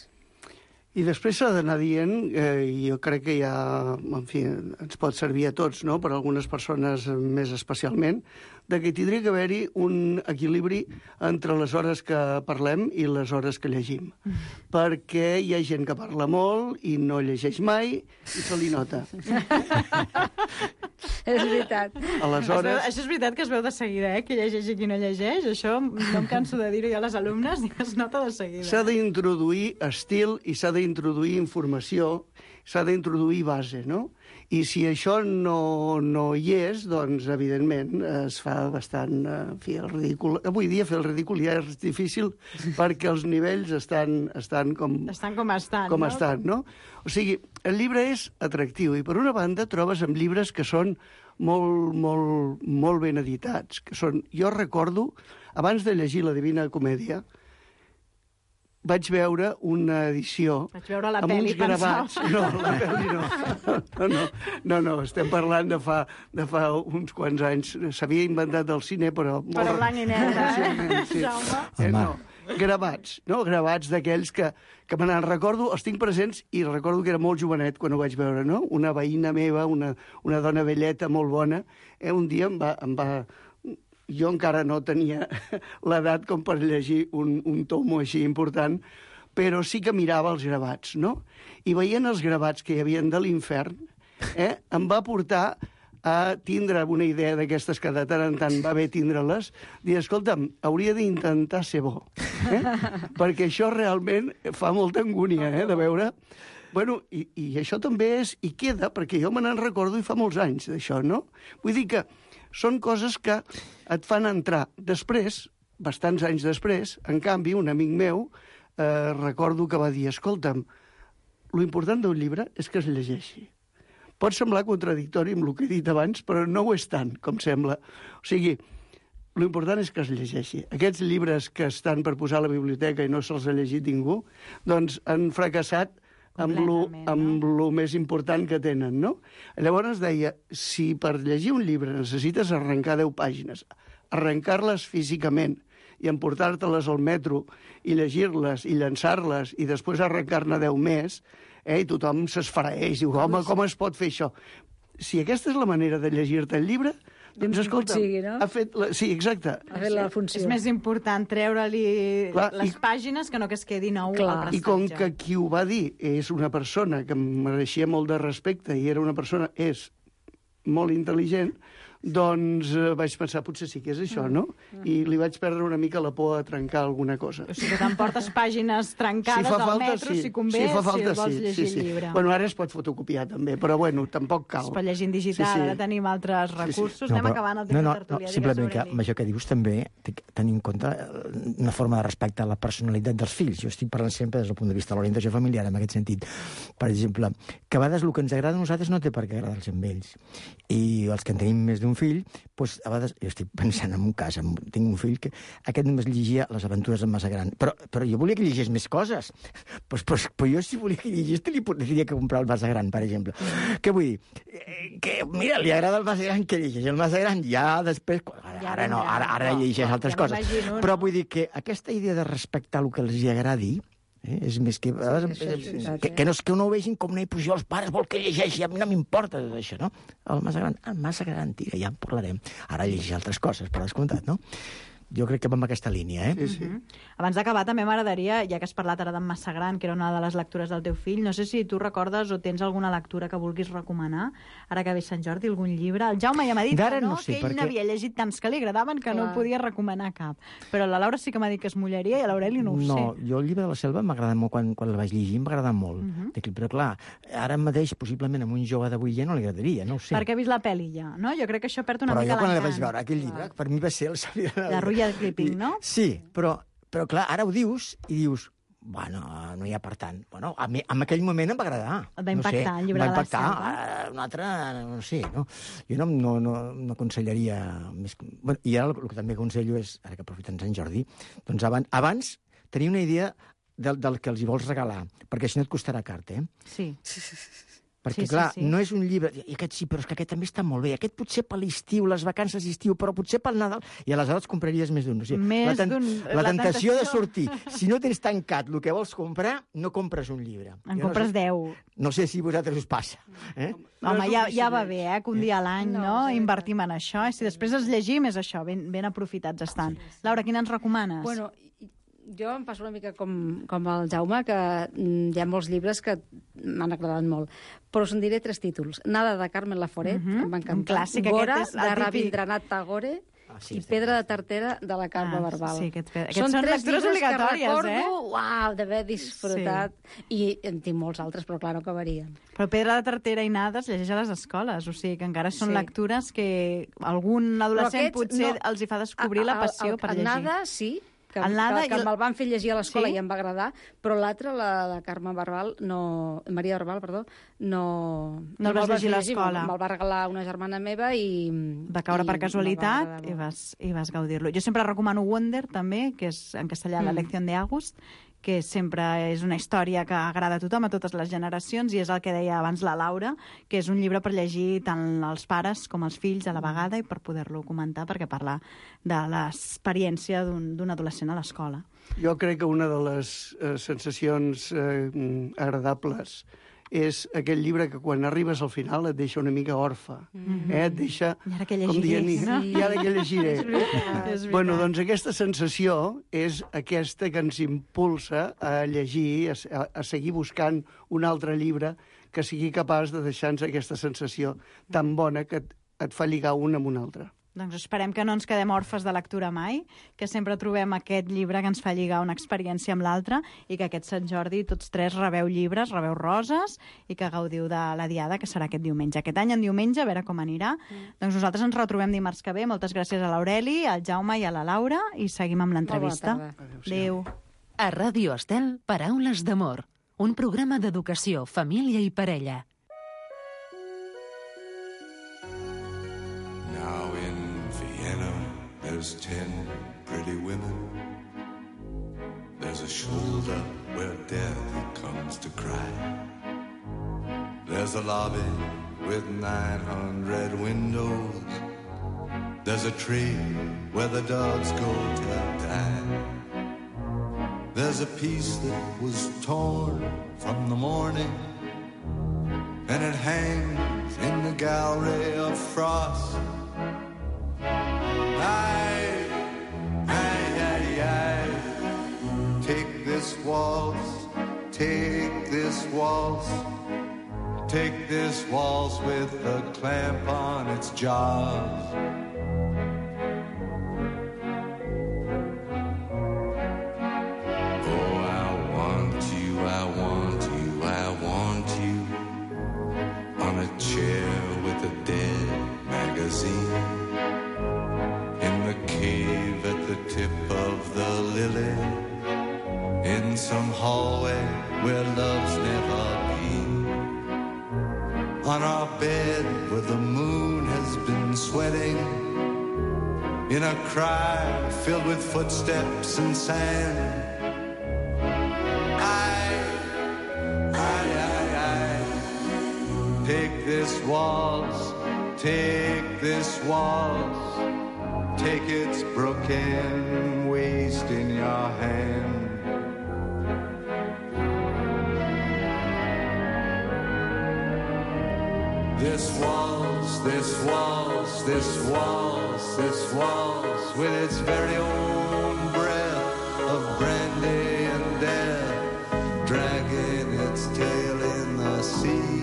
I després s'ha d'anar dient, eh, i jo crec que ja, en fi, ens pot servir a tots, no?, per a algunes persones més especialment, de que tindria que haver-hi un equilibri entre les hores que parlem i les hores que llegim. Mm. Perquè hi ha gent que parla molt i no llegeix mai i se li nota. És veritat. Aleshores... Veu, això és veritat que es veu de seguida, eh? Qui llegeix i qui no llegeix. Això no em canso de dir-ho jo a les alumnes, i es nota de seguida. S'ha d'introduir estil i s'ha d'introduir informació, s'ha d'introduir base, no? I si això no, no hi és, doncs, evidentment, es fa bastant, en fi, el ridícul. Avui dia fer el ridícul ja és difícil perquè els nivells estan, estan com... Estan com estan, com no? estan, no? O sigui, el llibre és atractiu i, per una banda, trobes amb llibres que són molt, molt, molt ben editats. Que són... Jo recordo, abans de llegir la Divina Comèdia, vaig veure una edició vaig veure la amb peli, uns gravats. No, la peli no. No, no, no, no, estem parlant de fa, de fa uns quants anys. S'havia inventat el cine, però... Però blanc i negre, eh? Sí. Eh, no. gravats, no? Gravats d'aquells que, que me n'en recordo, els tinc presents i recordo que era molt jovenet quan ho vaig veure, no? Una veïna meva, una, una dona velleta molt bona, eh, un dia em va... Em va jo encara no tenia l'edat com per llegir un, un tomo així important, però sí que mirava els gravats, no? I veient els gravats que hi havia de l'infern, eh, em va portar a tindre una idea d'aquestes que de tant en tant va bé tindre-les, dir, escolta'm, hauria d'intentar ser bo, eh? Perquè això realment fa molta angúnia, eh, de veure... Bueno, i, i això també és... I queda, perquè jo me n'en recordo i fa molts anys d'això, no? Vull dir que són coses que et fan entrar. Després, bastants anys després, en canvi, un amic meu eh, recordo que va dir, escolta'm, lo important d'un llibre és que es llegeixi. Pot semblar contradictori amb el que he dit abans, però no ho és tant, com sembla. O sigui, lo important és que es llegeixi. Aquests llibres que estan per posar a la biblioteca i no se'ls ha llegit ningú, doncs han fracassat amb lo, amb lo més important que tenen, no? Llavors deia, si per llegir un llibre necessites arrencar deu pàgines, arrencar-les físicament i emportar-te-les al metro i llegir-les i llançar-les i després arrencar-ne deu més, eh, i tothom s'esfereix, diu, home, com es pot fer això? Si aquesta és la manera de llegir-te el llibre, doncs, escolta, sigui, no? ha fet... La... Sí, exacte. Ha fet la funció. És més important treure-li les i... pàgines que no que es quedi nou al prestatge. I com que qui ho va dir és una persona que em mereixia molt de respecte i era una persona, és molt intel·ligent, doncs eh, vaig pensar, potser sí que és això, no? I li vaig perdre una mica la por a trencar alguna cosa. O sigui que t'emportes pàgines trencades si al falta, metro, sí. si convé, si, fa falta, si vols sí, llegir sí, sí. el llibre. Bueno, ara es pot fotocopiar també, però bueno, tampoc cal. Es pot llegir en digital, sí, sí. Ara tenim altres recursos. Sí, sí. No, Anem però, acabant el temps no, no, de tertúlia. No, simplement que amb això que dius també tenir en compte una forma de respecte a la personalitat dels fills. Jo estic parlant sempre des del punt de vista de l'orientació familiar, en aquest sentit. Per exemple, que a vegades el que ens agrada a nosaltres no té per què agradar-los amb ells. I els que en tenim més d'un fill, doncs, a vegades, jo estic pensant en un cas, en, tinc un fill que aquest només llegia Les aventures d'en Massagran, però, però jo volia que llegís més coses. Pues, pues, pues jo si volia que llegís, li podria comprar el Massagran, per exemple. Què vull dir? Que, mira, li agrada el Massagran, que llegeix el Massagran, ja després... Ara, ja ara no, ara, ara llegeix altres ja coses. Però vull dir que aquesta idea de respectar el que els agradi, Eh? És més que, sí, sí, sí, sí, que, que, no, que no ho vegin com nei, pues jo els pares vol que llegeixi, a mi no m'importa tot això, no? El Massagran, el Massagran, tira, ja en parlarem. Ara llegeix altres coses, per descomptat, no? Jo crec que va amb aquesta línia, eh? Sí, sí. Uh-huh. Abans d'acabar, també m'agradaria, ja que has parlat ara d'en Massagran, que era una de les lectures del teu fill, no sé si tu recordes o tens alguna lectura que vulguis recomanar, ara que ve Sant Jordi, algun llibre. El Jaume ja m'ha dit que no, no sé, que ell perquè... n'havia llegit tants que li agradaven que Clar. no podia recomanar cap. Però la Laura sí que m'ha dit que es mullaria i a l'Aureli no ho no, sé. No, jo el llibre de la selva m'agrada molt, quan, quan el vaig llegir m'agrada molt. Uh-huh. Però clar, ara mateix, possiblement, a un jove d'avui ja no li agradaria, no ho sé. Perquè ha vist la pel·li ja, no? Jo crec que això perd una Però mica l'encant. Però jo quan el vaig veure, aquell llibre, per mi va ser el... La Rulla de Clipping, no? Sí, però, però clar, ara ho dius i dius, bueno, no hi ha per tant. Bueno, a mi, en aquell moment em va agradar. Et va impactar, no sé, el llibre de la selva. Va impactar, un altre, no sé, no? Jo no, no, no, no aconsellaria més... Bueno, i ara el, el que també aconsello és, ara que aprofiten Sant Jordi, doncs abans, abans tenia una idea del, del que els hi vols regalar, perquè si no et costarà car, eh? Sí. Perquè, sí, clar, sí, sí. no és un llibre... I aquest sí, però és que aquest també està molt bé. Aquest potser per l'estiu, les vacances d'estiu, però potser pel Nadal... I aleshores compraries més d'un. O sigui, més la, ten... d'un... la, la tentació de sortir. Si no tens tancat el que vols comprar, no compres un llibre. En jo compres no sé... deu. No sé si a vosaltres us passa. Eh? Home, ja, ja va bé, eh, que un dia a l'any no, no, sí, invertim en això. I si després els llegim, és això, ben, ben aprofitats estan. Sí, sí. Laura, quina ens recomanes? Bueno, jo em passo una mica com, com el Jaume, que hi ha molts llibres que m'han agradat molt, però us en diré tres títols. Nada, de Carmen Laforet, uh-huh. em va encantar. Un clàssic, Gora, aquest és de Rabindranath Tagore, ah, sí, i Pedra de Tartera, de la Carme ah, Barbal. Sí, aquests, aquests són, són lectures obligatòries, que recordo, eh? Uau, d'haver disfrutat, sí. I en tinc molts altres, però clar, no acabarien. Però Pedra de Tartera i Nada es llegeix a les escoles, o sigui que encara són sí. lectures que algun adolescent aquests, potser no, els hi fa descobrir a, a, la passió a, a, per llegir. Nada, sí, que, Nada, que, que i... me'l van fer llegir a l'escola sí? i em va agradar, però l'altra, la de Carme Barbal, no... Maria Barbal, perdó, no... No el vas llegir a l'escola. Me'l va regalar una germana meva i... Va caure i per casualitat i vas, i vas gaudir-lo. Jo sempre recomano Wonder, també, que és en castellà mm. la lección de August, que sempre és una història que agrada a tothom, a totes les generacions, i és el que deia abans la Laura, que és un llibre per llegir tant els pares com els fills a la vegada i per poder-lo comentar, perquè parla de l'experiència d'un adolescent a l'escola. Jo crec que una de les eh, sensacions eh, agradables és aquell llibre que quan arribes al final et deixa una mica orfe. Mm-hmm. eh? Et deixa, I ara que com dient, no? i ara que llegiré. És veritat, és Bueno, doncs aquesta sensació és aquesta que ens impulsa a llegir, a, a seguir buscant un altre llibre que sigui capaç de deixar-nos aquesta sensació tan bona que et, et fa lligar un amb un altre. Doncs esperem que no ens quedem orfes de lectura mai, que sempre trobem aquest llibre que ens fa lligar una experiència amb l'altra i que aquest Sant Jordi tots tres rebeu llibres, rebeu roses i que gaudiu de la diada, que serà aquest diumenge. Aquest any en diumenge, a veure com anirà. Mm. Doncs nosaltres ens retrobem dimarts que ve. Moltes gràcies a l'Aureli, al Jaume i a la Laura i seguim amb l'entrevista. Adéu. A Ràdio Estel, Paraules d'amor, un programa d'educació, família i parella. There's ten pretty women. There's a shoulder where death comes to cry. There's a lobby with nine hundred windows. There's a tree where the dogs go to die. There's a piece that was torn from the morning, and it hangs in the gallery of frost. Aye, aye, aye, aye. Take this waltz, take this waltz, take this waltz with a clamp on its jaws. Oh, I want you, I want you, I want you on a chair with a dead magazine. Cave at the tip of the lily, in some hallway where love's never been, on our bed where the moon has been sweating, in a cry filled with footsteps and sand. I, I, I, I, take this waltz, take this waltz. Take its broken waist in your hand. This waltz, this waltz, this waltz, this waltz, with its very own breath of brandy and death, dragging its tail in the sea.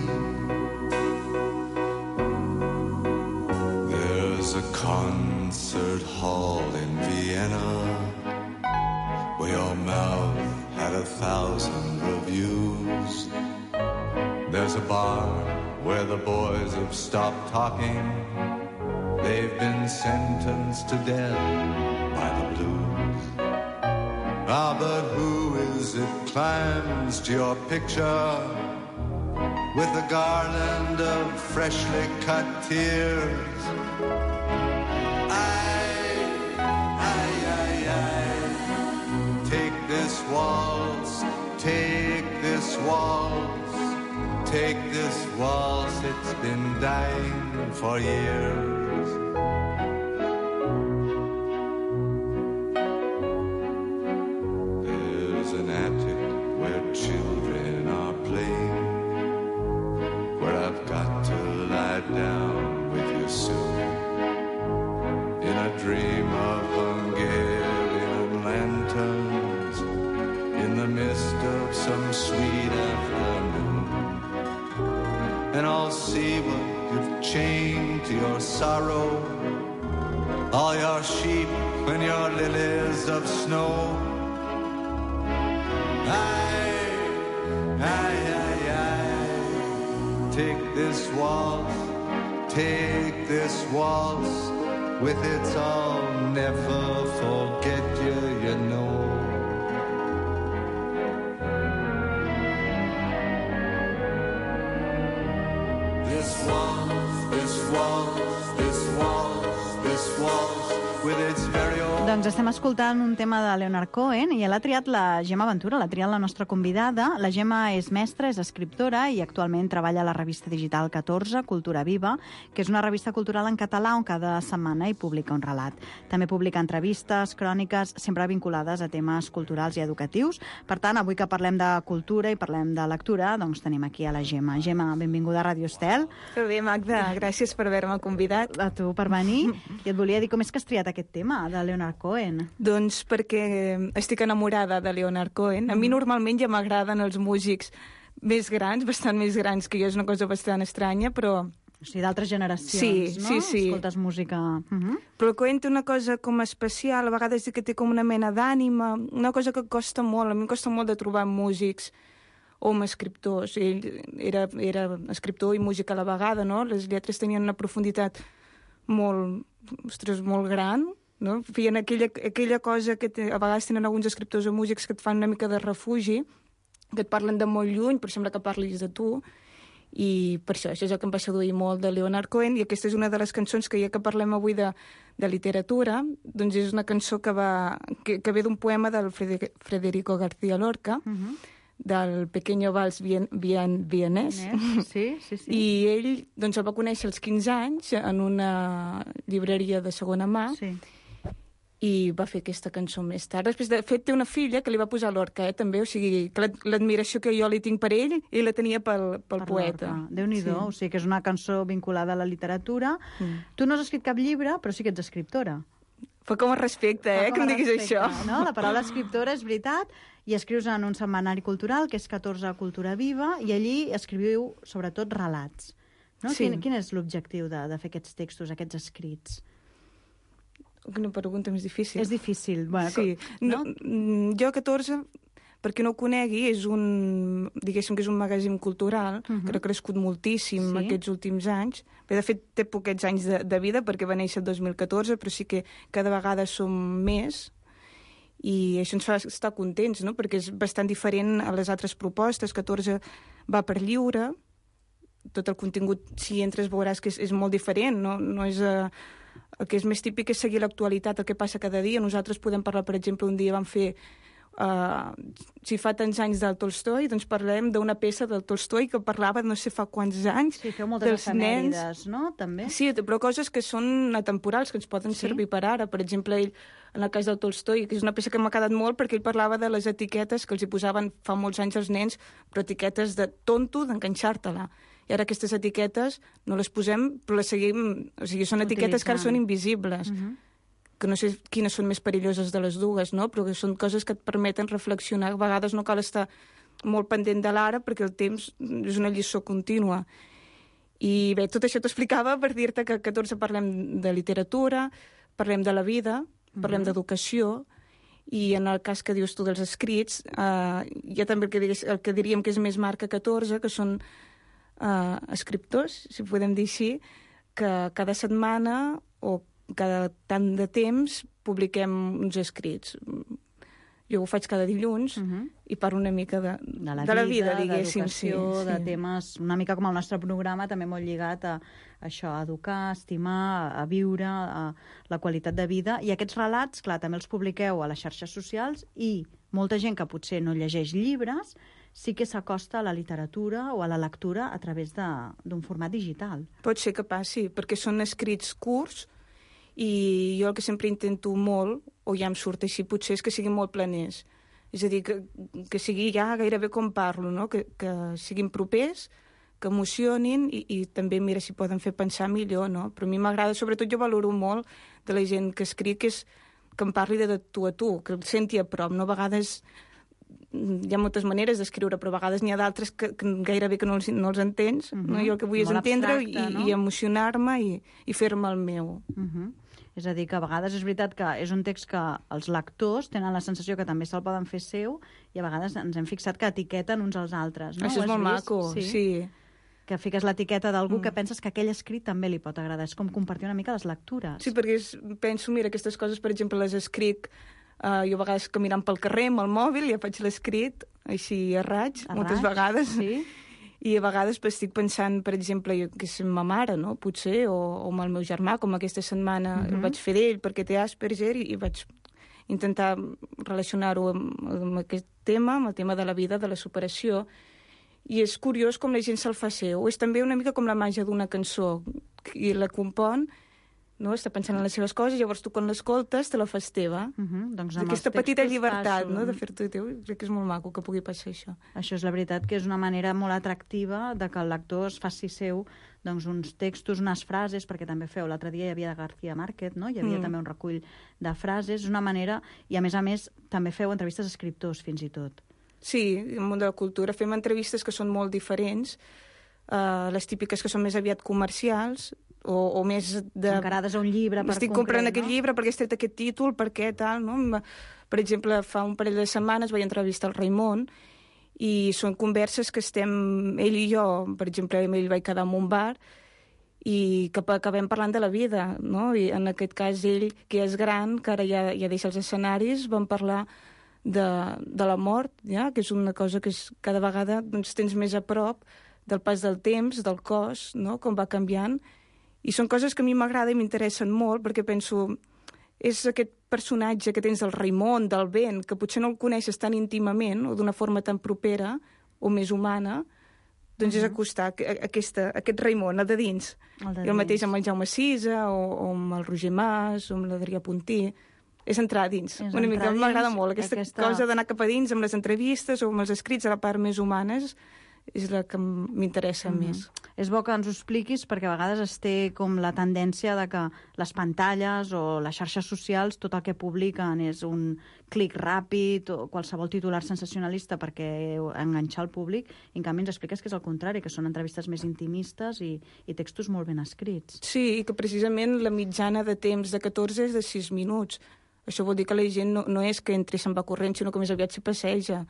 There's a concert hall in Vienna where your mouth had a thousand reviews. There's a bar where the boys have stopped talking. They've been sentenced to death by the blues. Ah, but who is it climbs to your picture with a garland of freshly cut tears? This waltz, take this waltz, take this waltz, it's been dying for years. There's an attic where children are playing, where I've got to lie down with you soon, in a dream of Hungarian lanterns, in the mist of some sweet afternoon. And I'll see what you've chained to your sorrow, all your sheep and your lilies of snow. Aye, aye, aye, aye. Take this waltz, take this waltz, with its I'll never forget you, you know. This waltz, this waltz, this waltz, this waltz, with its very own Doncs estem escoltant un tema de Leonard Cohen i l'ha triat la Gemma Ventura, l'ha triat la nostra convidada. La Gemma és mestra, és escriptora i actualment treballa a la revista digital catorze, Cultura Viva, que és una revista cultural en català on cada setmana hi publica un relat. També publica entrevistes, cròniques, sempre vinculades a temes culturals i educatius. Per tant, avui que parlem de cultura i parlem de lectura, doncs tenim aquí a la Gemma. Gemma, benvinguda a Ràdio Estel. Que bé, Magda, gràcies per haver-me convidat. A tu per venir. I et volia dir com és que has triat aquest tema de Leonard Cohen. Doncs perquè estic enamorada de Leonard Cohen. A mi normalment ja m'agraden els músics més grans, bastant més grans que jo, és una cosa bastant estranya, però... O sigui, d'altres generacions, sí, no? Sí, sí. Escoltes música... Uh -huh. Però Cohen té una cosa com especial, a vegades que té com una mena d'ànima, una cosa que costa molt, a mi em costa molt de trobar músics o amb escriptors. Ell era, era escriptor i músic a la vegada, no? Les lletres tenien una profunditat molt, ostres, molt gran, no? Feien aquella, aquella cosa que te, a vegades tenen alguns escriptors o músics que et fan una mica de refugi, que et parlen de molt lluny, però sembla que parlis de tu, i per això, això és el que em va seduir molt de Leonard Cohen, i aquesta és una de les cançons que ja que parlem avui de, de literatura, doncs és una cançó que, va, que, que ve d'un poema del Federico García Lorca, uh -huh. del Pequeño Vals Bien, Bien, Vienés. Sí, sí, sí. I ell doncs, el va conèixer als quinze anys en una llibreria de segona mà, sí. I va fer aquesta cançó més tard. Després, de fet, té una filla que li va posar Lorca, eh, també, o sigui, que l'admiració que jo li tinc per ell, ell la tenia pel, pel per poeta. Déu-n'hi-do, sí. O sigui que és una cançó vinculada a la literatura. Mm. Tu no has escrit cap llibre, però sí que ets escriptora. Fa com a respecte, eh, com que em diguis respecte, això. No? La paraula escriptora és veritat, i escrius en un setmanari cultural, que és catorze Cultura Viva, i allí escriviu, sobretot, relats. No? Sí. Quin, quin és l'objectiu de, de fer aquests textos, aquests escrits? Una pregunta més difícil. És difícil. Bueno, sí. Com, no? no, jo, catorze, per qui no ho conegui, és un, diguéssim que és un magazín cultural, uh-huh. que ha crescut moltíssim sí. aquests últims anys. Bé, de fet, té poquets anys de, de vida, perquè va néixer el dos mil catorze, però sí que cada vegada som més, i això ens fa estar contents, no? Perquè és bastant diferent a les altres propostes. catorze va per lliure, tot el contingut, si entres veuràs que és, és molt diferent, no, no és... Uh, el que és més típic és seguir l'actualitat, el que passa cada dia. Nosaltres podem parlar, per exemple, un dia vam fer, uh, si fa tants anys del Tolstoi, doncs parlem d'una peça del Tolstoi que parlava no sé fa quants anys. Sí, feu moltes efemèrides, no? També. Sí, però coses que són atemporals, que ens poden sí? servir per ara. Per exemple, ell, en el cas del Tolstoi, que és una peça que m'ha quedat molt perquè ell parlava de les etiquetes que els hi posaven fa molts anys als nens, però etiquetes de tonto, d'enganxar-te-la. I ara aquestes etiquetes no les posem, però les seguim... O sigui, són etiquetes que ara són invisibles. Uh-huh. Que no sé quines són més perilloses de les dues, no? Però que són coses que et permeten reflexionar. A vegades no cal estar molt pendent de l'ara perquè el temps és una lliçó contínua. I bé, tot això t'ho explicava per dir-te que a catorze parlem de literatura, parlem de la vida, parlem uh-huh. d'educació, i en el cas que dius tu dels escrits, eh, hi ha també el que, digués, el que diríem que és més marca catorze, que són Uh, escriptors, si podem dir així, que cada setmana o cada tant de temps publiquem uns escrits. Jo ho faig cada dilluns uh-huh. i parlo una mica de, de la de la vida, vida diguéssim. D'educació, sí, de sí. temes una mica com el nostre programa, també molt lligat a, a això, a educar, a estimar, a viure, a la qualitat de vida. I aquests relats, clar, també els publiqueu a les xarxes socials i molta gent que potser no llegeix llibres sí que s'acosta a la literatura o a la lectura a través d'un format digital. Pot ser que passi, perquè són escrits curts i jo el que sempre intento molt, o ja em surt així, potser és que siguin molt planers. És a dir, que, que sigui ja gairebé com parlo, no? que, que siguin propers, que emocionin i, i també, mira, si poden fer pensar millor, no? Però a mi m'agrada, sobretot jo valoro molt de la gent que escriu, que, és, que em parli de tu a tu, que el senti a prop, no? A vegades hi ha moltes maneres d'escriure, però a vegades n'hi ha d'altres que, que gairebé que no els, no els entens. Uh-huh. No? Jo el que vull és entendre i, no? i emocionar-me i, i fer-me el meu. Uh-huh. És a dir, que a vegades és veritat que és un text que els lectors tenen la sensació que també se'l poden fer seu i a vegades ens hem fixat que etiqueten uns als altres. No? Això és molt maco, sí. sí. Que fiques l'etiqueta d'algú mm. que penses que aquell escrit també li pot agradar. És com compartir una mica les lectures. Sí, perquè és, penso, mira, aquestes coses, per exemple, les escric Uh, jo a vegades caminant pel carrer amb el mòbil, ja faig l'escrit així a raig, a moltes raig, vegades. Sí. I a vegades pues, estic pensant, per exemple, jo, que és ma mare, no? Potser, o, o amb el meu germà, com aquesta setmana uh-huh. el vaig fer d'ell perquè té Asperger i, i vaig intentar relacionar-ho amb, amb aquest tema, amb el tema de la vida, de la superació. I és curiós com la gent se'l fa seu. És també una mica com la màgia d'una cançó. I la compon, no? Està pensant en les seves coses, llavors tu quan l'escoltes te la fas teva. Uh-huh. Doncs aquesta petita llibertat, no? De fer-t'ho teu, crec que és molt maco que pugui passar això. Això és la veritat, que és una manera molt atractiva de que el lector es faci seu doncs, uns textos, unes frases, perquè també feu, l'altre dia hi havia de García Márquez, no? Hi havia mm. també un recull de frases, és una manera, i a més a més també feu entrevistes a escriptors fins i tot. Sí, en el món de la cultura fem entrevistes que són molt diferents, uh, les típiques que són més aviat comercials, o, o més de... encarades a un llibre per estic concret, comprant no? aquest llibre perquè has tret aquest títol, per què, tal, no? Per exemple, fa un parell de setmanes vaig entrevistar el Raimon i són converses que estem, ell i jo, per exemple, amb ell vaig quedar en un bar i que acabem parlant de la vida, no? I en aquest cas ell, que és gran, que ara ja, ja deixa els escenaris, vam parlar de, de la mort, ja? Que és una cosa que és, cada vegada doncs, tens més a prop del pas del temps, del cos, no? Com va canviant. I són coses que a mi m'agrada i m'interessen molt, perquè penso, és aquest personatge que tens del Raimon, del Ben, que potser no el coneixes tan íntimament o d'una forma tan propera o més humana, doncs uh-huh. és acostar aquesta, aquest Raimon, el de dins. El de I el mateix dins. Amb el Jaume Sisa, o, o amb el Roger Mas, o amb l'Adrià Puntí. És entrar a dins. És una mica m'agrada molt, aquesta, aquesta cosa d'anar cap a dins amb les entrevistes o amb els escrits a la part més humanes, és la que m'interessa mm-hmm. més. És bo que ens ho expliquis perquè a vegades es té com la tendència de que les pantalles o les xarxes socials tot el que publiquen és un clic ràpid o qualsevol titular sensacionalista perquè enganxar el públic, i en canvi ens expliques que és el contrari, que són entrevistes més intimistes i, i textos molt ben escrits. Sí, i que precisament la mitjana de temps de catorze és de sis minuts. Això vol dir que la gent no, no és que entri i se'n va corrent, sinó que més aviat s'hi passeja.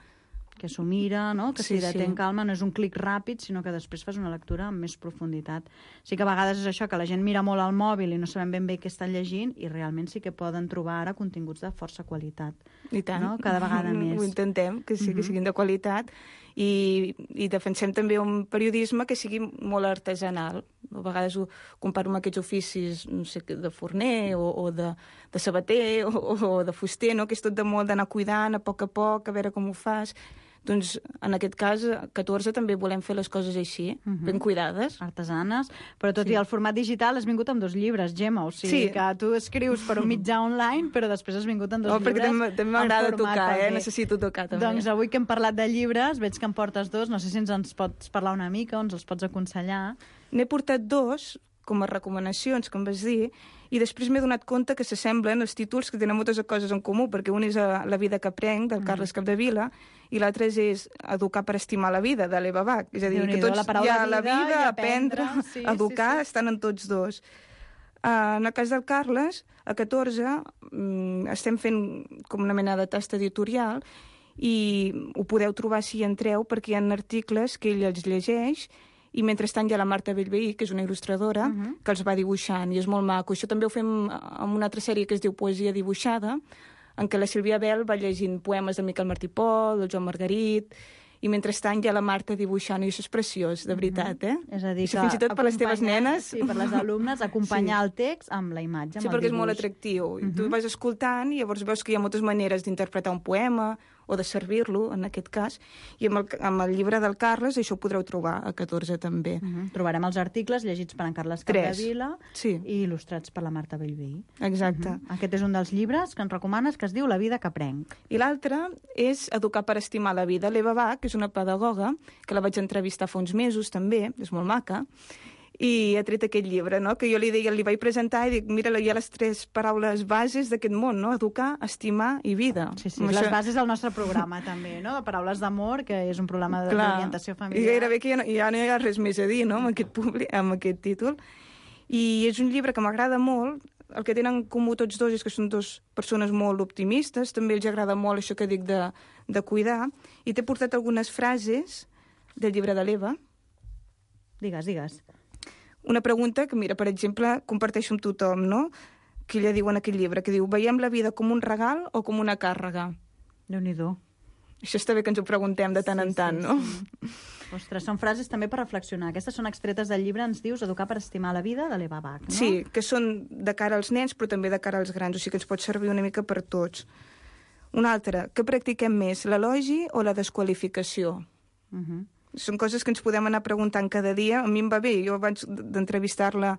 Que s'ho mira, no? Que sí, s'hi detén sí. calma, no és un clic ràpid, sinó que després fas una lectura amb més profunditat. Sí que a vegades és això, que la gent mira molt al mòbil i no sabem ben bé què estan llegint, i realment sí que poden trobar ara continguts de força qualitat. I tant. No? Cada vegada més. Ho intentem, que, sí, que siguin de qualitat, i, i defensem també un periodisme que sigui molt artesanal. A vegades ho comparo amb aquests oficis, no sé, de forner o, o de, de sabater o, o de fuster, no? Que és tot de molt d'anar cuidant a poc a poc, a veure com ho fas. Doncs, en aquest cas, catorze també volem fer les coses així, uh-huh. ben cuidades. Artesanes, però tot sí. i el format digital has vingut amb dos llibres, Gemma, o sigui sí. que tu escrius per un mitjà online, però després has vingut amb dos oh, llibres. També, també m'agrada tocar, eh? Necessito tocar, també. Doncs avui que hem parlat de llibres, veig que en portes dos, no sé si ens en pots parlar una mica o ens els pots aconsellar. N'he portat dos, com a recomanacions, com vas dir, i després m'he donat compte que s'assemblen els títols que tenen moltes coses en comú, perquè un és La vida que aprenc, del Carles Capdevila, i l'altre és Educar per estimar la vida, de l'Eva Bach. És a dir, que tots hi ha la vida, aprendre, sí, educar, sí, sí. estan en tots dos. Uh, en el cas del Carles, a catorze, um, estem fent com una mena de tasta editorial i ho podeu trobar si hi entreu, perquè hi ha articles que ell els llegeix i mentrestant hi ha la Marta Bellveí, que és una il·lustradora, uh-huh. que els va dibuixant, i és molt maco. Això també ho fem amb una altra sèrie que es diu Poesia dibuixada, en què la Sílvia Bel va llegint poemes del Miquel Martí Pol, del Joan Margarit, i mentrestant hi ha la Marta dibuixant, i això és preciós, de veritat, eh? Uh-huh. És a dir, això, fins i tot per les teves nenes... Sí, per les alumnes, acompanyar sí. el text amb la imatge, amb sí, el perquè dibuix. és molt atractiu. Uh-huh. Tu vas escoltant i llavors veus que hi ha moltes maneres d'interpretar un poema o de servir-lo, en aquest cas, i amb el, amb el llibre del Carles això ho podreu trobar a catorze també. Uh-huh. Trobarem els articles llegits per en Carles Capdevila sí. i il·lustrats per la Marta Bellveí. Exacte. Uh-huh. Aquest és un dels llibres que ens recomanes, que es diu La vida que aprenc. I l'altre és Educar per estimar la vida. L'Eva Bach, que és una pedagoga, que la vaig entrevistar fa uns mesos també, és molt maca, i ha tret aquest llibre, no? Que jo li deia, li vaig presentar i dic, mira, hi ha les tres paraules bases d'aquest món, no? Educar, estimar i vida. Sí, sí, les això... bases del nostre programa també, no? De paraules d'amor, que és un programa d'orientació familiar. I gairebé que ja no, ja no hi ha res més a dir, no?, amb aquest, publi... amb aquest títol. I és un llibre que m'agrada molt. El que tenen en comú tots dos és que són dos persones molt optimistes, també els agrada molt això que dic de, de cuidar, i t'he portat algunes frases del llibre de l'Eva. Digues, digues. Una pregunta que, mira, per exemple, comparteixo amb tothom, no?, que ella diu en aquell llibre, que diu, veiem la vida com un regal o com una càrrega? Déu-n'hi-do. Això està bé que ens ho preguntem de tant sí, en tant, sí, no? Sí. Ostres, són frases també per reflexionar. Aquestes són extretes del llibre, ens dius, Educar per estimar la vida, de l'Eva Bach, no? Sí, que són de cara als nens, però també de cara als grans, o sigui que ens pot servir una mica per tots. Una altra, què practiquem més, l'elogi o la desqualificació? Uh -huh. Són coses que ens podem anar preguntant cada dia. A mi em va bé, jo abans d'entrevistar-la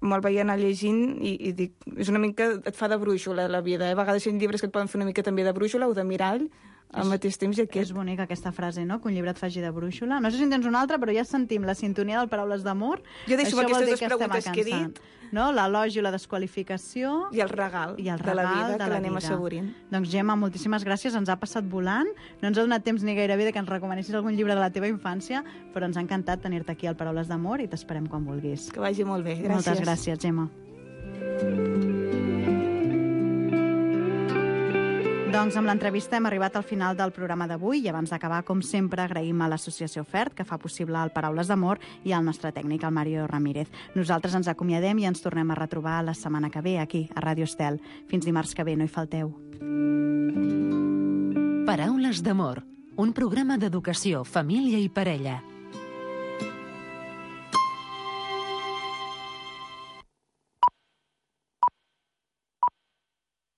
me'l vaig anar llegint i, i dic, és una mica, et fa de brúixola la vida. Eh? A vegades hi ha llibres que et poden fer una mica també de brúixola o de mirall, al mateix temps i aquest. És bonica aquesta frase, no?, que un llibre et faci de brúixola. No sé si en tens una altra, però ja sentim la sintonia del Paraules d'amor. Jo deixo Això aquestes dues que preguntes que he dit. No? L'elogi, la desqualificació... I el regal, i el regal de la vida, que l'anem assaborint. Doncs, Gemma, moltíssimes gràcies, ens ha passat volant. No ens ha donat temps ni gairebé de que ens recomanessis algun llibre de la teva infància, però ens ha encantat tenir-te aquí al Paraules d'amor i t'esperem quan vulguis. Que vagi molt bé, gràcies. Moltes gràcies, Gemma. Doncs amb l'entrevista hem arribat al final del programa d'avui i abans d'acabar, com sempre, agraïm a l'associació FERT, que fa possible el Paraules d'amor, i al nostre tècnic, el Mario Ramírez. Nosaltres ens acomiadem i ens tornem a retrobar la setmana que ve, aquí, a Ràdio Estel. Fins dimarts que ve, no hi falteu. Paraules d'amor, un programa d'educació, família i parella.